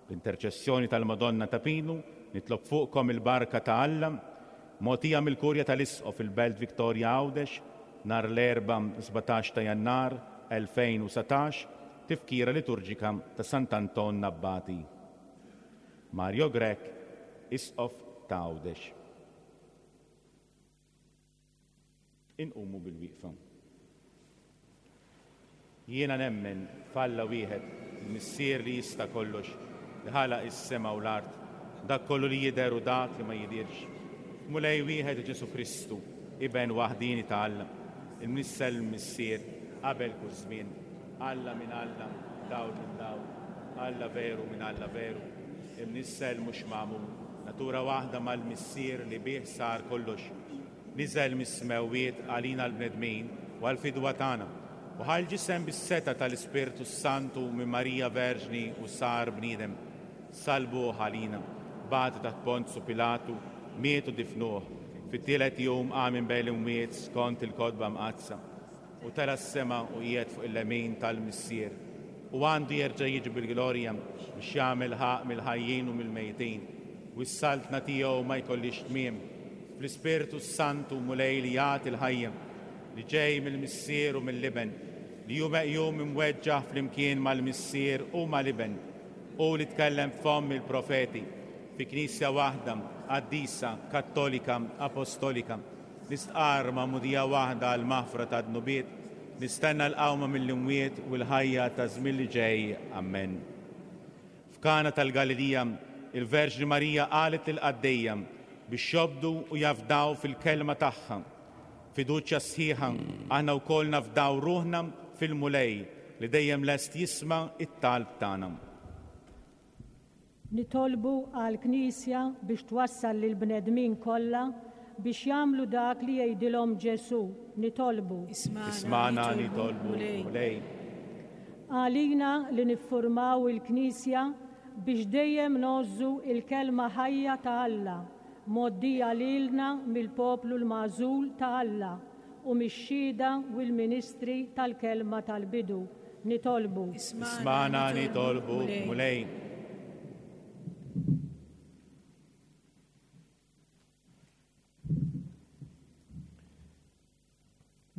L-interċessjoni tal-Madonna ta' Pinu nitlob fuqkom il-barka ta' Alla mogħtija mill-Kurja tal-Isqof fil-Belt Victoria Għawdex nhar l-Erbgħa sbatax ta' Jannar elfejn u satax, tifkira liturġika ta' Sant'Anton Abbati. Mario Grech, Isqof ta' Għawdex. Inqumu bil-wieqfa. Jiena nemmen f'Alla wieħed, il-Missier li jista' kollox, li ħalaq is-sema u l-art, dak kollu li jidher u dak li ma jidirx. Mulej wieħed Ġesu Kristu, Iben waħdini ta' Alla, il-Mnissel Missier, qabel kull żmien, Alla minn Alla, dawl minn dawl, Alla veru minn Alla veru, imnissel mhux magħmul, natura waħda mal-Missier li bih sar kollox, niżel mis-smewwiet għalina l-bnedmin u għall-fidwa tagħna, u ħa l-ġisem bis-seta tal-Ispirtu Santu minn Marija Verġni u sar bniedem, salbuh għalina, bagħtu taħt Ponzu Pilatu, miet u difnuh, fit-tielet jum qam minn bejn l-imwiet skont il-kotba mqaddsa, u tela' s-sema u qiegħed fuq il-lemin tal-Missier, u għandu jerġa' jiġi bil-glorja biex jagħmel ħaqq mill-ħajjin u mill-mejtin, u s-saltna tiegħu ma jkollix tmiem. Fl-Ispirtu Santu Mulej li jagħti l-ħajja, li ġej mill-Missier u mill-Iben, li hu meqjum imweġġaħ flimkien mal-Missier u mal-Iben, u li tkellem f'fomm il-profeti, fi Knisja waħda, qaddisa, kattolika, apostolika, nistqarr magħmudija waħda għal maħfra ta' dnubiet, nistenna l-qawma mill-imwiet u l-ħajja ta' żmien li ġej. Amen. F'Kana tal-Galilija, il-Verġni Marija qalet lill-qaddejja biex jobdu u jafdaw fil-kelma tagħha. Fiduċja sħiħa aħna wkoll nafdaw ruħna fil-Mulej li dejjem lest jisma' it-talb tagħna. Nitolbu għall-Knisja biex twassal lill-bnedmin kollha biex jagħmlu dak li jgħidilhom Ġesu. Nitolbu. Ismana, nitolbu, Mulej. Għalina li niffurmaw il-Knisja biex dejjem ngħożżu il-kelma ħajja ta' Alla, mgħoddija lilna mill-poplu l-magħżul ta' Alla u mix-xhieda u l-ministri tal-kelma tal-bidu. Nitolbu. Ismana, nitolbu, Mulej.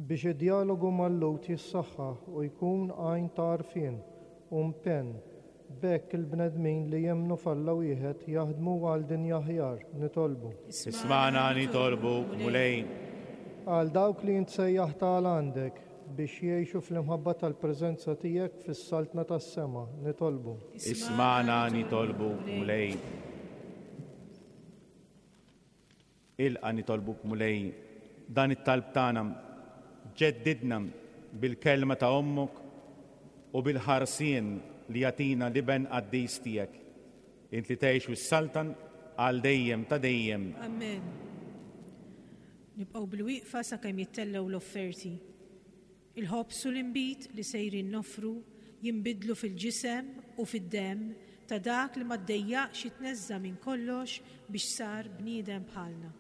Biex id-dialogu mal-Lhud jissaħħaħ u jkun għajn ta' għarfien u mpenn, b'hekk il-bnedmin li jemmnu f'Alla wieħed jaħdmu għal dinja aħjar. Nitolbu. Ismana, nitolbu, Mulej. Għal dawk li jintsejjaħ ta' għandek biex jgħixu fl-imħabba tal-preżenza tiegħek fis-saltna tas-sema. Nitolbu. Ismana, nitolbu, Mulej. Ilqa' nitolbuk, Mulej, dan it-talb tagħna ġeddidna bil-kelma ta' ommok u bil-ħarsien li jagħtina l-Iben qaddis tiegħek. Int li tgħix u s-saltan għal dejjem ta' dejjem. Amen. Nibqgħu bil-wieqfa sakemm jittellgħu l-offerti. Il-ħobż u l-inbid li sejrin noffru jinbidlu fil-ġisem u fid-demm ta' dak li ma ddejjaqx jitneżża' minn kollox biex sar bniedem bħalna.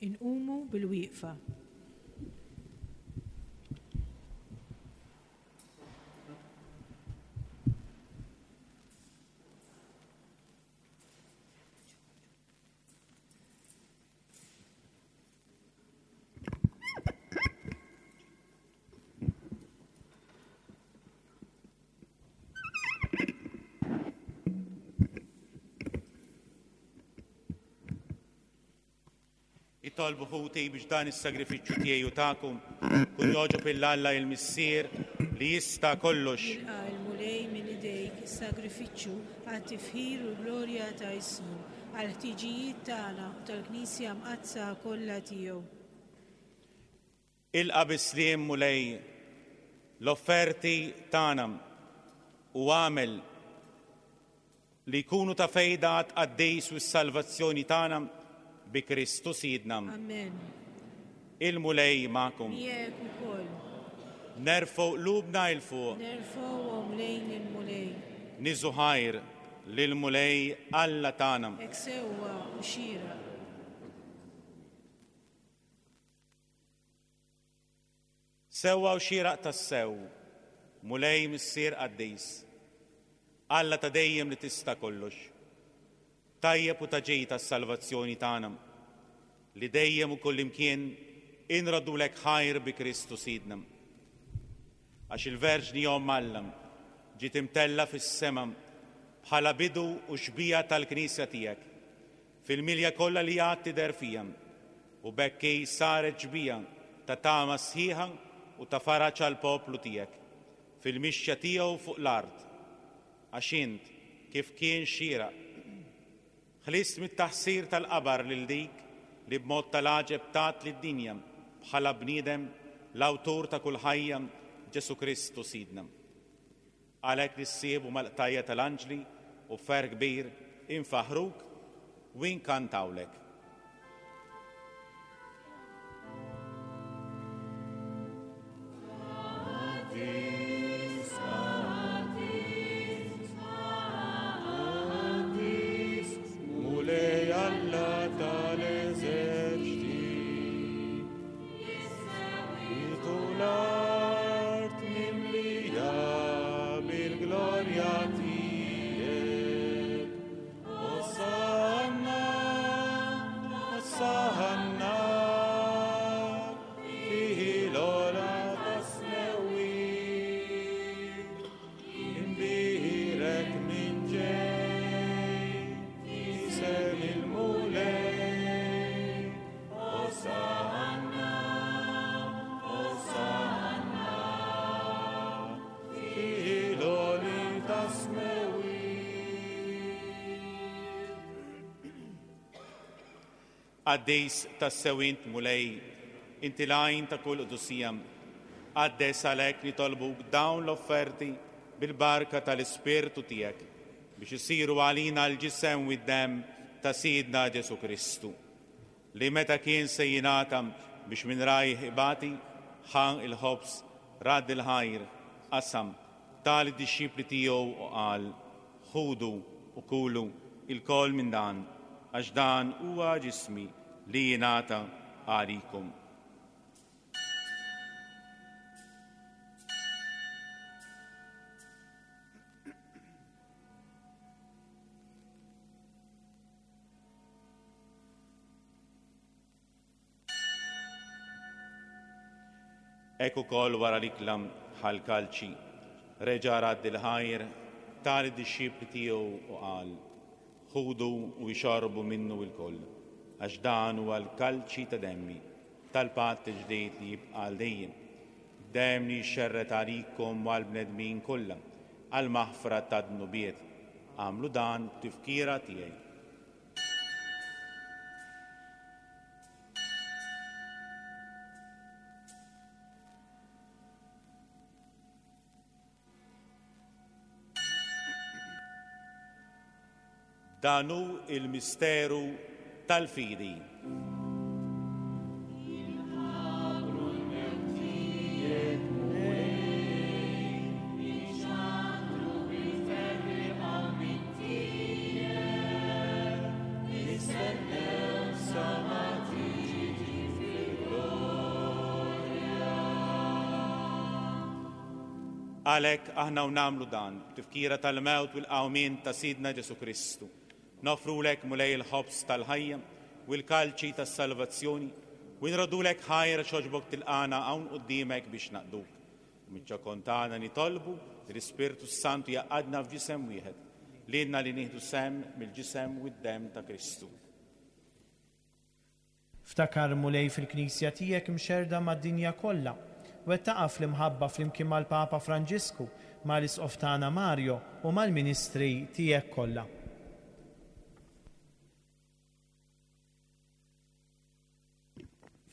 Inqumu bil-wieqfa. Itolbu ħuti biex dan is-sagrifiċċju tiegħi u tagħkom kun jogħġob lil Alla il-Missier li jista' kollox. Jilqa' l-Mulej minn idejk is-sagrifiċċju għat-tifħir u l-glorja ta' ismu, għall-ħtiġijiet tagħna u tal-Knisja Mqaddsa kollha tiegħu. Ilqa' bis-sliem Mulej l-offerti tagħna u għamel li jkunu ta' fejda għat-tqaddis u s-salvazzjoni tagħna bi Kristu Sidna. Amen. Il-Mulej magħkom. Miegħek ukoll. Nerfgħu qlubna 'l fuq. Nerfgħuhom lejn il-Mulej. Niżu ħajr lill-Mulej Alla tagħna. Hekk sewwa u xieraq. Sewwa u xieraq tassew, Mulej Missier Qaddis, Alla ta' dejjem li tista' kollox, tajjeb u ta' ġej tas-salvazzjoni tagħna, li dejjem u kullimkien inraddulek ħajr bi Kristu Sidna. Għax il-Verġni Omm Alla ġiet imtella fis-sema bħala bidu u xbija tal-Knisja tiegħek, fil-milja kollha li għad tidher fija, u b'hekk hi saret xbija ta' tama sħiħa u ta' faraġ għall-poplu tiegħek fil-mixja tiegħu fuq l-art, għax int kif kien xieraq ħlist mit-taħsir tal-qabar lil dik li b'mod tal-għaġeb tat lid-dinja bħala bniedem l-awtur ta' kull ħajja Ġesu Kristu Sidna. Għalhekk nissiebu mal-qtajja tal-anġli u ferħ kbir infaħruk u inkantawlek. Mulej Alla tal-eżerċti, Jitu l-art mimlija bil-glorja tiegħek. Osanna, Osanna, fil-ogħla tas-smewwiet. Imbierek min ġej f'isem il-Mulej. Osanna, Osanna, fil-għoli tas-smewwiet. Qaddis tassew int Mulej, inti l-għajn ta' kull qdusija. Qaddes għalhekk nitolbuk dawn l-offerti bil-barka tal-Ispirtu tiegħek biex isiru għalina l-ġisem u d-demm ta' Sidna Ġesu Kristu, li meta kien se jingħata biex minn rajh ibati, ħa il-ħobż, radd il-ħajr, qasam, ta lid-dixxipli tiegħu u qal: Ħudu u kulu ilkoll minn dan, għax dan huwa ġismi li jingħata għalikom. Hekk ukoll wara l-ikla ħa l-kalċi, reġa' radd il-ħajr, ta lid-dixxipli tiegħu u qal: Ħudu u ixorbu minnu lkoll, għax dan huwa l-kalċi ta' demmi, tal-patt ġdid li jibqa' għal dejjem. Demm li jxerred għalikom u għall-bnedmin kollha, għall-maħfra tad-dnubiet. Agħmlu dan b'tifkira tiegħi. Dan hu il-misteru tal-fidi. Għalhekk aħna u nagħmlu dan b'tifkira tal-mewt u l-qawmien ta' Sidna Ġesu Kristu. Nofrulek Mulej il-ħobż tal-ħajja u l-kalċi tas-salvazzjoni u nroddulek ħajr x'għoġbok tilqagħna hawn quddiemek biex naqduk. U miċ-ċokon tagħna nitolbu li l-Ispirtu Santu jgħaqqadna f'ġisem wieħed, lilna li nieħdu sehem mill-ġisem u d-demm ta' Kristu. Ftakar Mulej fil-Knisja tiegħek mxerda mad-dinja kollha, wettaqha fl-imħabba flimkien mal-Papa Franġisku, mal-Isqof tagħna Mario u mal-Ministri tiegħek kollha.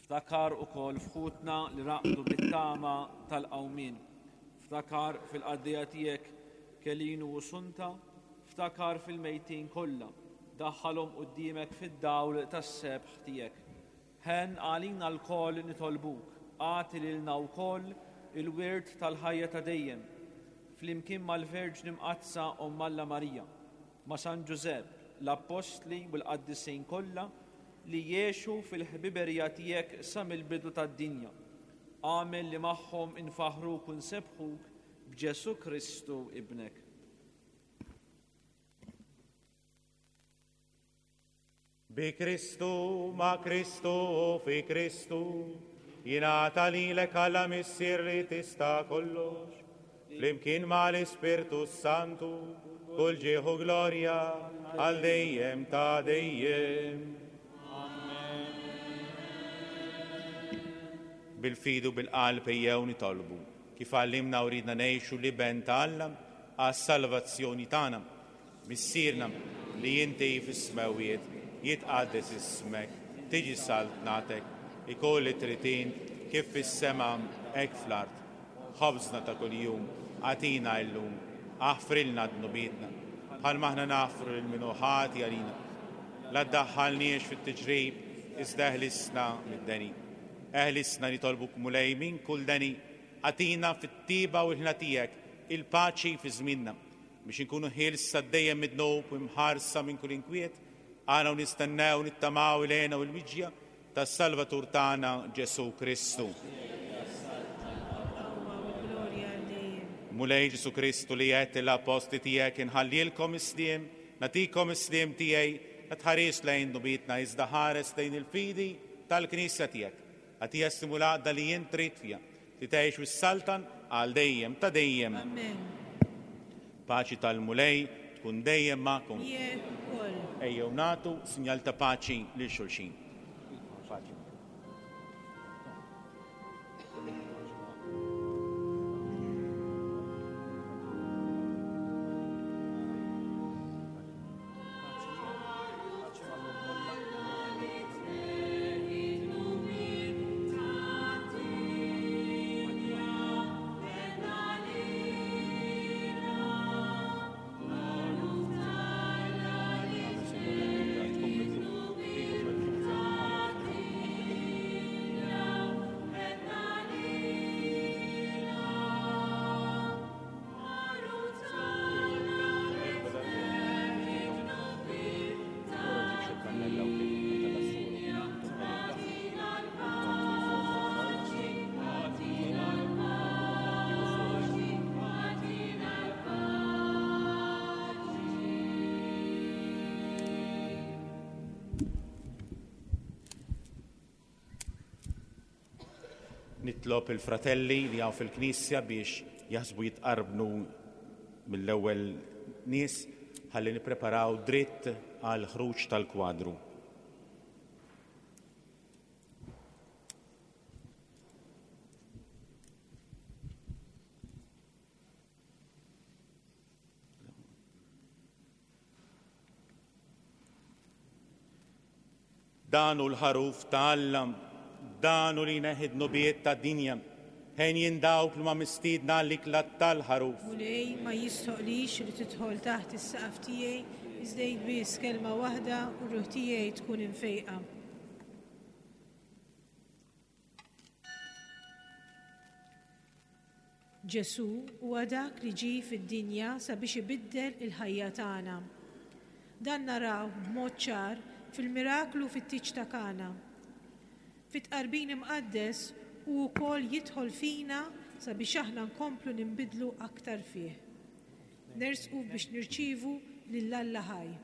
Ftakar ukoll f'ħutna li raqdu bit-tama tal-qawmien. Ftakar fil-qaddejja tiegħek Kelinu u Sunta, ftakar fil-mejtin kollha, daħħalhom quddiemek fid-dawl tas-sebħ tiegħek. Ħen għalina lkoll nitolbuk, agħti lilna wkoll il-wirt tal-ħajja ta' dejjem, flimkien mal-Verġni Mqaddsa Omm Alla Marija, ma' San Ġużepp, l-Appostli u l-Qaddisin kollha li jgħixu fil-ħbiberija tiegħek sa mill-bidu tad-dinja. Agħmel li magħhom infaħruk u nsebbħuk b'Ġesu Kristu ibnek. Bi Kristu, ma' Kristu, fi Kristu, jingħata lilek Alla Missier li tista' kollox, flimkien mal-Ispirtu Santu, kull ġieħ u glorja għal dejjem ta' dejjem. Bil-fidu bil-qalb ejjew nitolbu, kif għallimna u ridna ngħixu l-Iben ta' Alla għas-salvazzjoni tagħna. Missierna li inti fis-smewwiet, jitqaddes ismek, tiġi saltnatek, ikun li trid int kif fis-sema hekk fl-art. Ħobżna ta' kuljum agħtina llum, aħfrilna dnubietna, bħalma aħna naħfru lil min hu ħati għalina. La ddaħħalniex fit-tiġrib, iżda eħlisna mid-deni. Eħlisna nitolbuk Mulej minn kull deni, agħtina fit-tiba u l-ħna tiegħek il-paċi fi żmienna, biex inkunu ħielsa dejjem mid-dnub u mħarsa minn kull inkwiet, għana u nistennew nittamaw il-hena u l-miġja tas-Salvatur tagħna Ġesu Kristu. Mulej Ġesu Kristu li għedt l-appostli tiegħek inħallilkom is-sliem, nagħtikom is-sliem tiegħi, la tħares lejn dnubietna iżda ħares lejn il-fidi tal-Knisja tiegħek. Agħtiha s-simulaqda li jien trid fiha, li tgħix u s-saltan għal dejjem ta' dejjem. Amen. Paċi tal-Mulej tkun dejjem magħkom. Miegħek ukoll. Ejjew nagħtu sinjal ta' paċi lil xulxin. Paċi. Nitlob il-fratelli li hawn fil-Knisja biex jaħsbu jitqarbnu mill-ewwel nies ħalli nippreparaw dritt għal ħruġ tal-kwadru. Dan hu l-ħaruf ta' Alla, dan hu li jneħħi d-dnubiet tad-dinja. Ħenjin dawk li ma mistiedna għall-ikla tal-ħaruf. Mulej, ma jistoqlix li tidħol taħt is-saqaf tiegħi, iżda għid biss kelma waħda u r-ruħ tiegħi tkun imfejqa. Ġesu huwa dak li ġie fid-dinja sabiex ibiddel il-ħajja tagħna. Dan naraw b'mod ċar fil-miraklu fit-tieġ ta' Kana. Fit-tqarbin imqaddes hu wkoll jidħol fina sabiex aħna nkomplu ninbidlu aktar fih. Nersqu biex nirċievu lil Alla ħaj.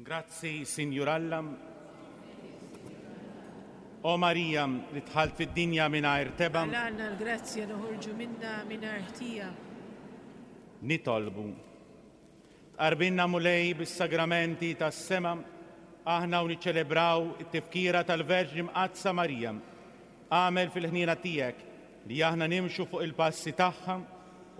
Grazzi, Sinjur Alla. O Marija, li dħalt fid-dinja mingħajr tebgħa. Għalna l-grazzja noħorġu minna mingħajr ħtija. Nitolbu. Tqarbinna Mulej bis-sagramenti tas-sema aħna u niċċelebraw it-tifkira tal-Verġni Mqaddsa Marija. Agħmel fil-ħniena tiegħek li aħna nimxu fuq il-passi tagħha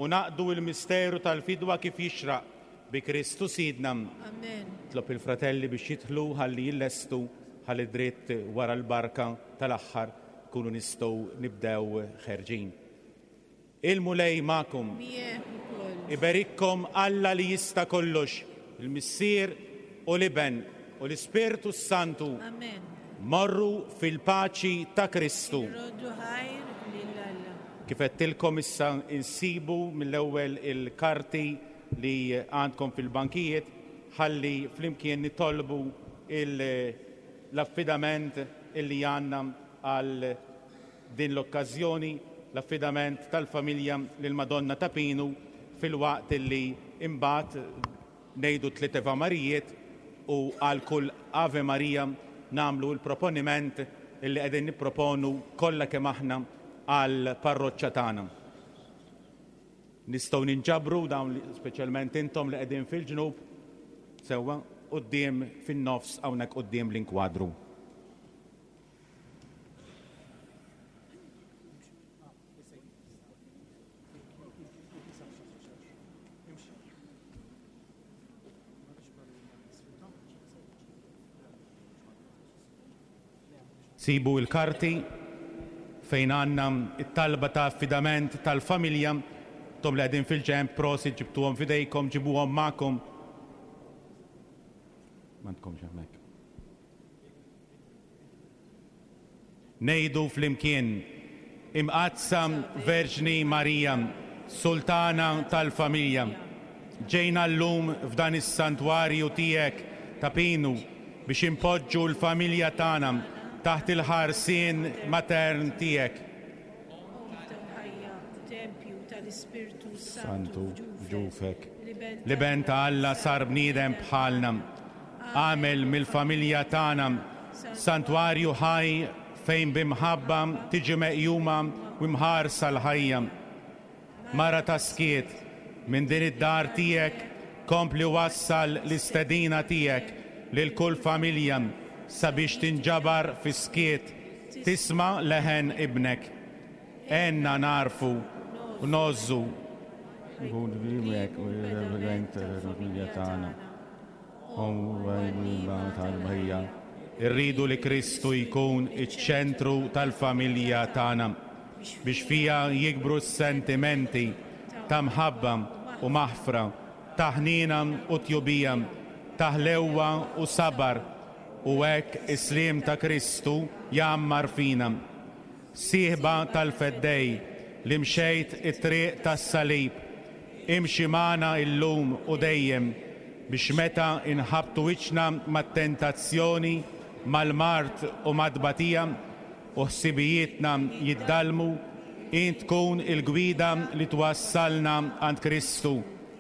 u naqdu il-misteru tal-fidwa kif jixraq bi Kristu Sidna. Amen. Tlob il-fratelli biex jidħlu ħalli jillestu ħalli dritt wara l-barka tal-aħħar kunu nistgħu nibdew ħerġin. Il-Mulej magħkom. Miegħek ukoll. Iberikkom Alla li jista' kollox, il-Missier u l-Iben u l-Ispirtu Santu. Amen. Morru fil-paċi ta' Kristu. Roddu ħajr lil Alla. Kif għedtilkom issa insibu mill-ewwel il-karti li għandkom fil-bankijiet ħalli flimkien nitolbu il- l-affidament illi għandna għal din l-okkażjoni, l-affidament tal-familja lil Madonna ta' Pinu filwaqt illi imbagħad ngħidu tliet Ave Marijiet u għal kull Ave Maria nagħmlu l-proponiment illi qegħdin nipproponu kollha kemm aħna għal parroċċa tagħna. Nistgħu ninġabru dawn li- speċjalment intom li qegħdin fil-ġnub sewwa quddiem fin-nofs hawnhekk quddiem l-inkwadru. Sibu il-karti fejn għandna it-talba ta' affidament tal-familja, tom li qegħdin fil-ġenb, prosit ġibtuhom f'idejkom, ġibuhom magħkom. M'għandkomx hemmhekk. Ngħidu flimkien, Imqaddsa Verġni Marija, Sultana tal-familja, ġejna llum f'dan is-santwarju tiegħek ta' Pinu biex impoġġu l-familja tagħna taħt il-ħarsien matern tiegħek. Omm tal-ħajja, tempju tal-Ispirtu Santu Santu f'ġufek. L-Iben L-Iben ta' Alla sar bniedem bħalna. Għamel mill-familja tagħna santwarju ħaj fejn bimħabba tiġi meqjuma u mħarsa l-ħajja. Mara ta' skiet minn din id-dar tiegħek kompli wassal l-istedina tiegħek lil kull familja sabiex tinġabar fi skiet tisma' leħen ibnek. Għinna nagħrfu u ngħożżu Irridu li Kristu jkun iċ-ċentru tal-familja tagħna biex fija jikbru s-sentimenti ta' mħabba u maħfra, ta' ħniena u tjubija, ta' ħlewwa u sabar, u hekk is-sliem ta' Kristu jgħammar fina. Sieħba tal-Feddej li mxejt it-triq tas-salib, imxi magħna illum u dejjem biex meta inħabtu wiċċna mat-tentazzjoni, mal-mard u mad-tbatija u ħsibijietna jiddalmu, int tkun il-gwida li twassalna għand Kristu,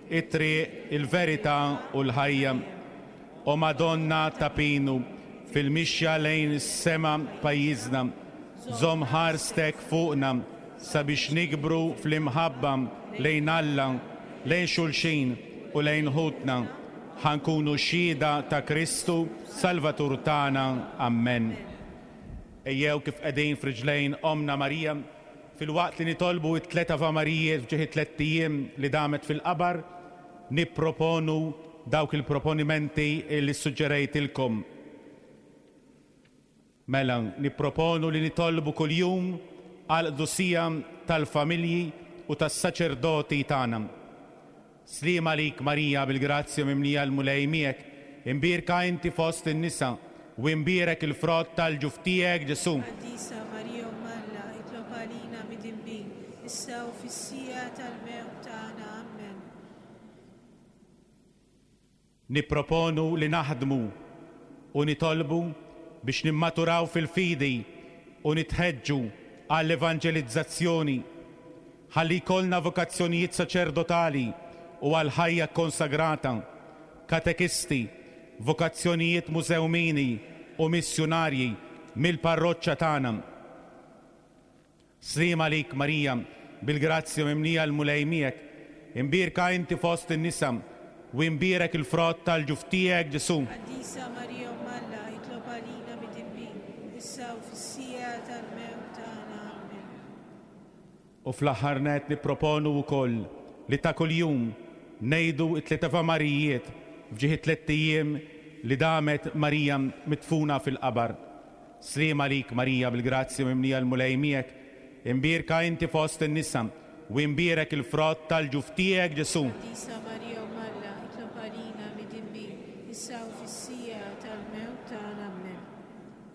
it-triq, il-verità u l-ħajja. O Madonna ta' Pinu, fil-mixja lejn is-sema pajjiżna, żomm ħarstek fuqna sabiex nikbru fl-imħabba lejn Alla, lejn xulxin u lejn ħutna. Ħa nkunu xhieda ta' Kristu, Salvatur tagħna. Amen. Ejjew kif qegħdin f'riġlejn Omna Marija, filwaqt li nitolbu it-tliet Ave Marijiet f'ġieħ it-tliet ijiem li damet fil-qabar, nipproponu dawk il-proponimenti li suġġerejtilkom. Mela, nipproponu li nitolbu kuljum għal qdusija tal-familji u tas-saċerdoti tagħna. Sliem għalik Marija bil-grazzja mimlija l-Mulej miegħek, imbierka inti fost in-nisa u imbierek il-frott tal-ġuf tiegħek Ġesu. Qaddisa Marija Omm Alla, itlob għalina midinbin, issa u fis-siegħa tal-mewt tagħna. Amen. Nipproponu li naħdmu u nitolbu biex nimmaturaw fil-fidi u nitħeġġu għall-evanġelizzazzjoni, ħalli jkollna vokazzjonijiet saċerdotali u għal-ħajja konsagrata, katekisti, vokazzjonijiet mużewmini u missjunarji mill-parroċċa tagħna. Sliem għalik Marija, bil-grazzja mimlija l-Mulej miegħek, imbierka inti fost in-nisa u imbierek il-frott tal-ġuf tiegħek Ġesu. Qaddisa Marija Omm Alla, issa u fis-siegħa tal-mewt tagħna. Amen. U fl-aħħar nett nipproponu wkoll li ta' kuljum ngħidu t-tliet Ave Marijiet f'ġieħ it-tliet ijiem li damet Marija midfuna fil-qabar. Sliem għalik Marija bil-grazzja mimlija l-Mulej miegħek, imbierka inti fost in-nisa u imbierek il-frott tal-ġuf tiegħek Ġesù. Qaddisa Marija Omm Alla, itlob għalina midinbin, issa u fis-siegħa tal-mewt tagħna. Amen.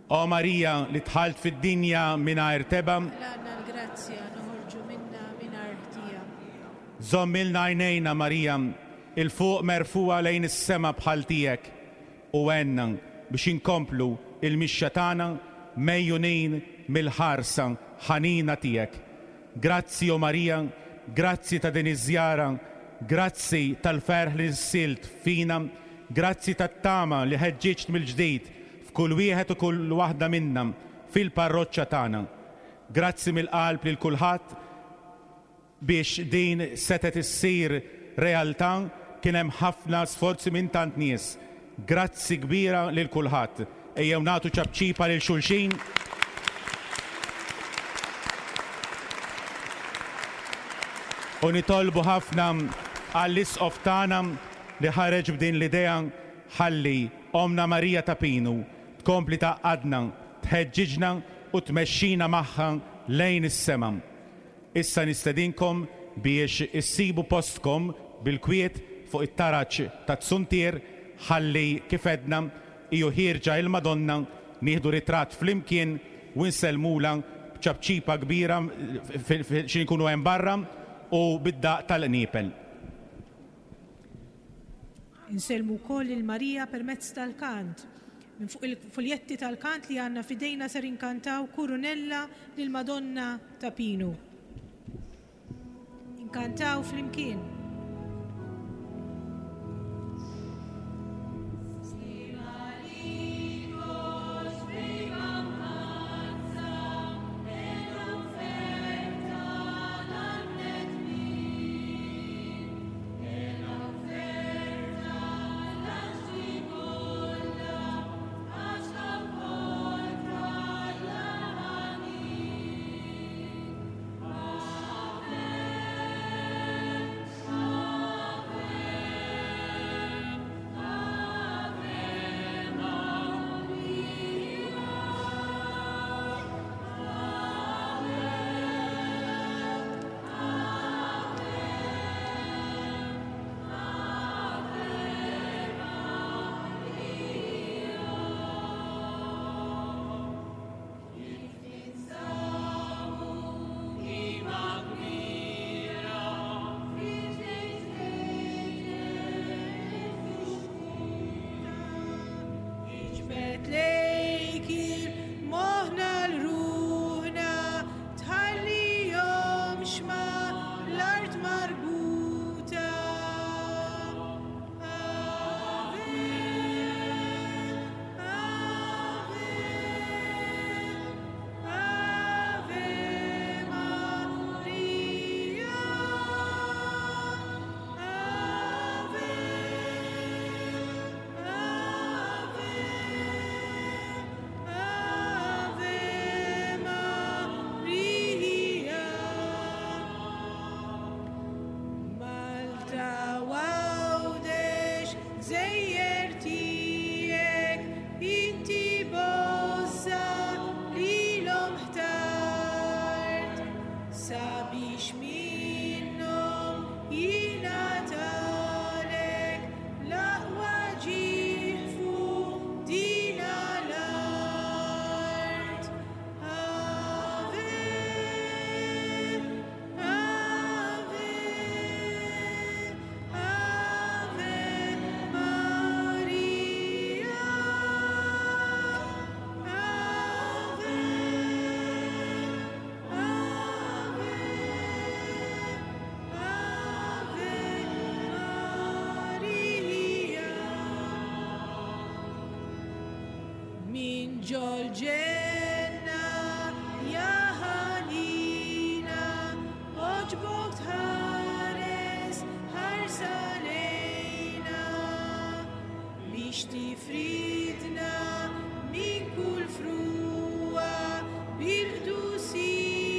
O Marija li dħalt fid-dinja mingħajr tebgħa, Laqna l-grazzja noħorġu minna mingħajr ħtija. Żommilna għajnejna Marija 'il fuq merfugħa lejn is-sema bħal tiegħek u għenna biex inkomplu il-mixja tagħna megħjunin mill-ħarsa ħanina tiegħek. Grazzi o Marija, grazzi ta' din iż-żjara, grazzi tal-ferħ li nissilt fina, grazzi tat-tama li ħeġġiġt mill-ġdid f'kull wieħed u kull waħda minna fil-parroċċa tagħna. Grazzi mill-qalb lil kulħadd biex din setet issir realtà, kien hemm ħafna sforzi minn tant nies. Grazzi kbira lil kulħadd. Ejjew nagħtu ċapċipa lil xulxin. U nitolbu ħafna għall-isqof tagħna li ħareġ b'din l-idea ħalli Omna Marija ta' Pinu tkompli tgħaqqadna, tħeġġiġna u tmexxina magħha lejn is-sema. Issa nistedinkom biex issibu postkom bil-kwiet fuq it-taraġ tat-Suntier ħalli kif għedna iju ħierġa il-Madonna nieħdu ritratt flimkien u nsellmula b'ċapċipa kbira xi nkunu hemm barra u bid-daq tal-qniepel. Insellmu wkoll lil Marija permezz tal-kant. Minn fuq il-fuljetti tal-kant li għandna fidejna ser inkantaw Kurunella lil Madonna ta' Pinu. Inkantaw flimkien. Ġol-ġenna ja ħanina, oġbok tħares ħarsa lejna, biex tifridna minn kull frugħa. Bil-qdusija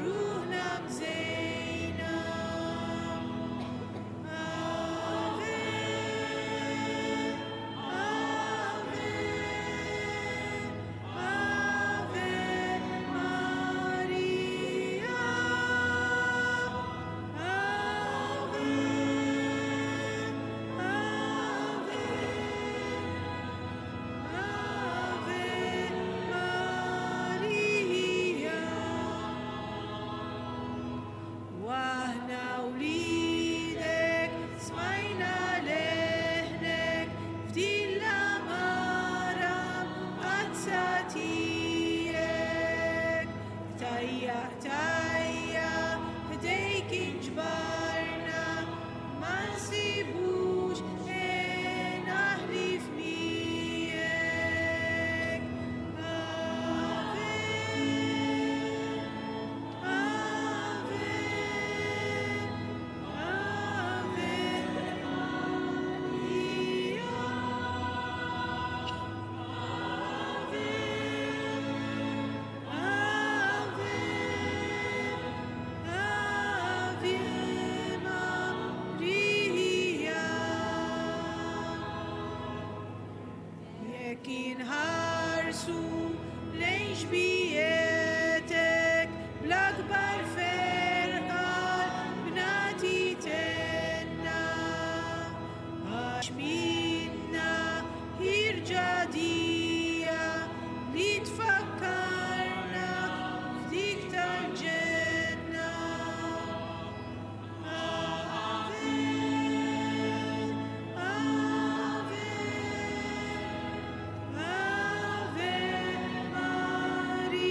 ruħna mżejna. Ave, Ave, Ave Maria. Ave, Ave, Ave Maria. Waħna wliedek smajna leħnek f'din l-għamara mqaddsa tiegħek. Tajja, tajja, ħdejk inġbarna, ma nsibux hena ħlief miegħek. Ave, Ave, Ave Maria. Ave, Ave, Ave Maria. Jekk inħarsu lejn xbietek bl-akbar ferħa bnati tenna. Għax minna ħierġa dija li tfakkarna f'dik tal-ġenna. Ave, Ave, Ave Maria.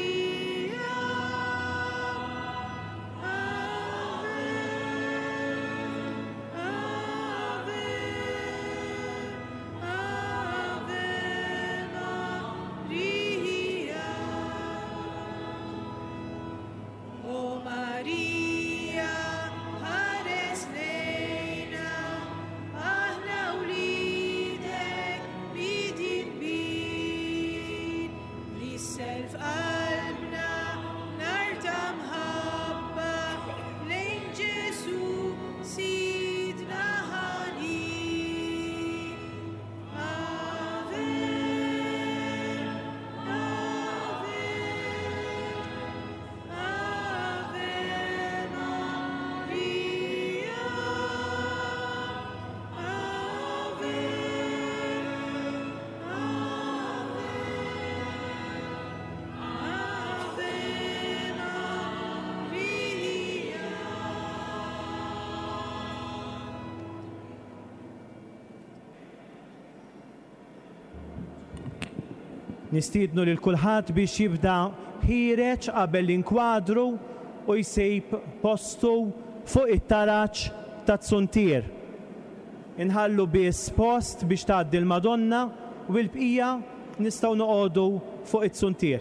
Ave, Ave, Ave Maria. O Maria, ħares lejna, aħna wliedek midinbin, li self qalbna nar ta' mħabba lejn Ġesu Sidna ħanin. Ave, Ave, Ave Maria. Ave, Ave, Ave Maria. Nistiednu lil kulħadd biex jibda ħiereġ qabel l-inkwadru u jsib postu fuq it-taraġ taz-zuntier. Inħallu biss post biex tgħaddi l-Madonna u l-bqija nistgħu noqogħdu fuq it-zuntier.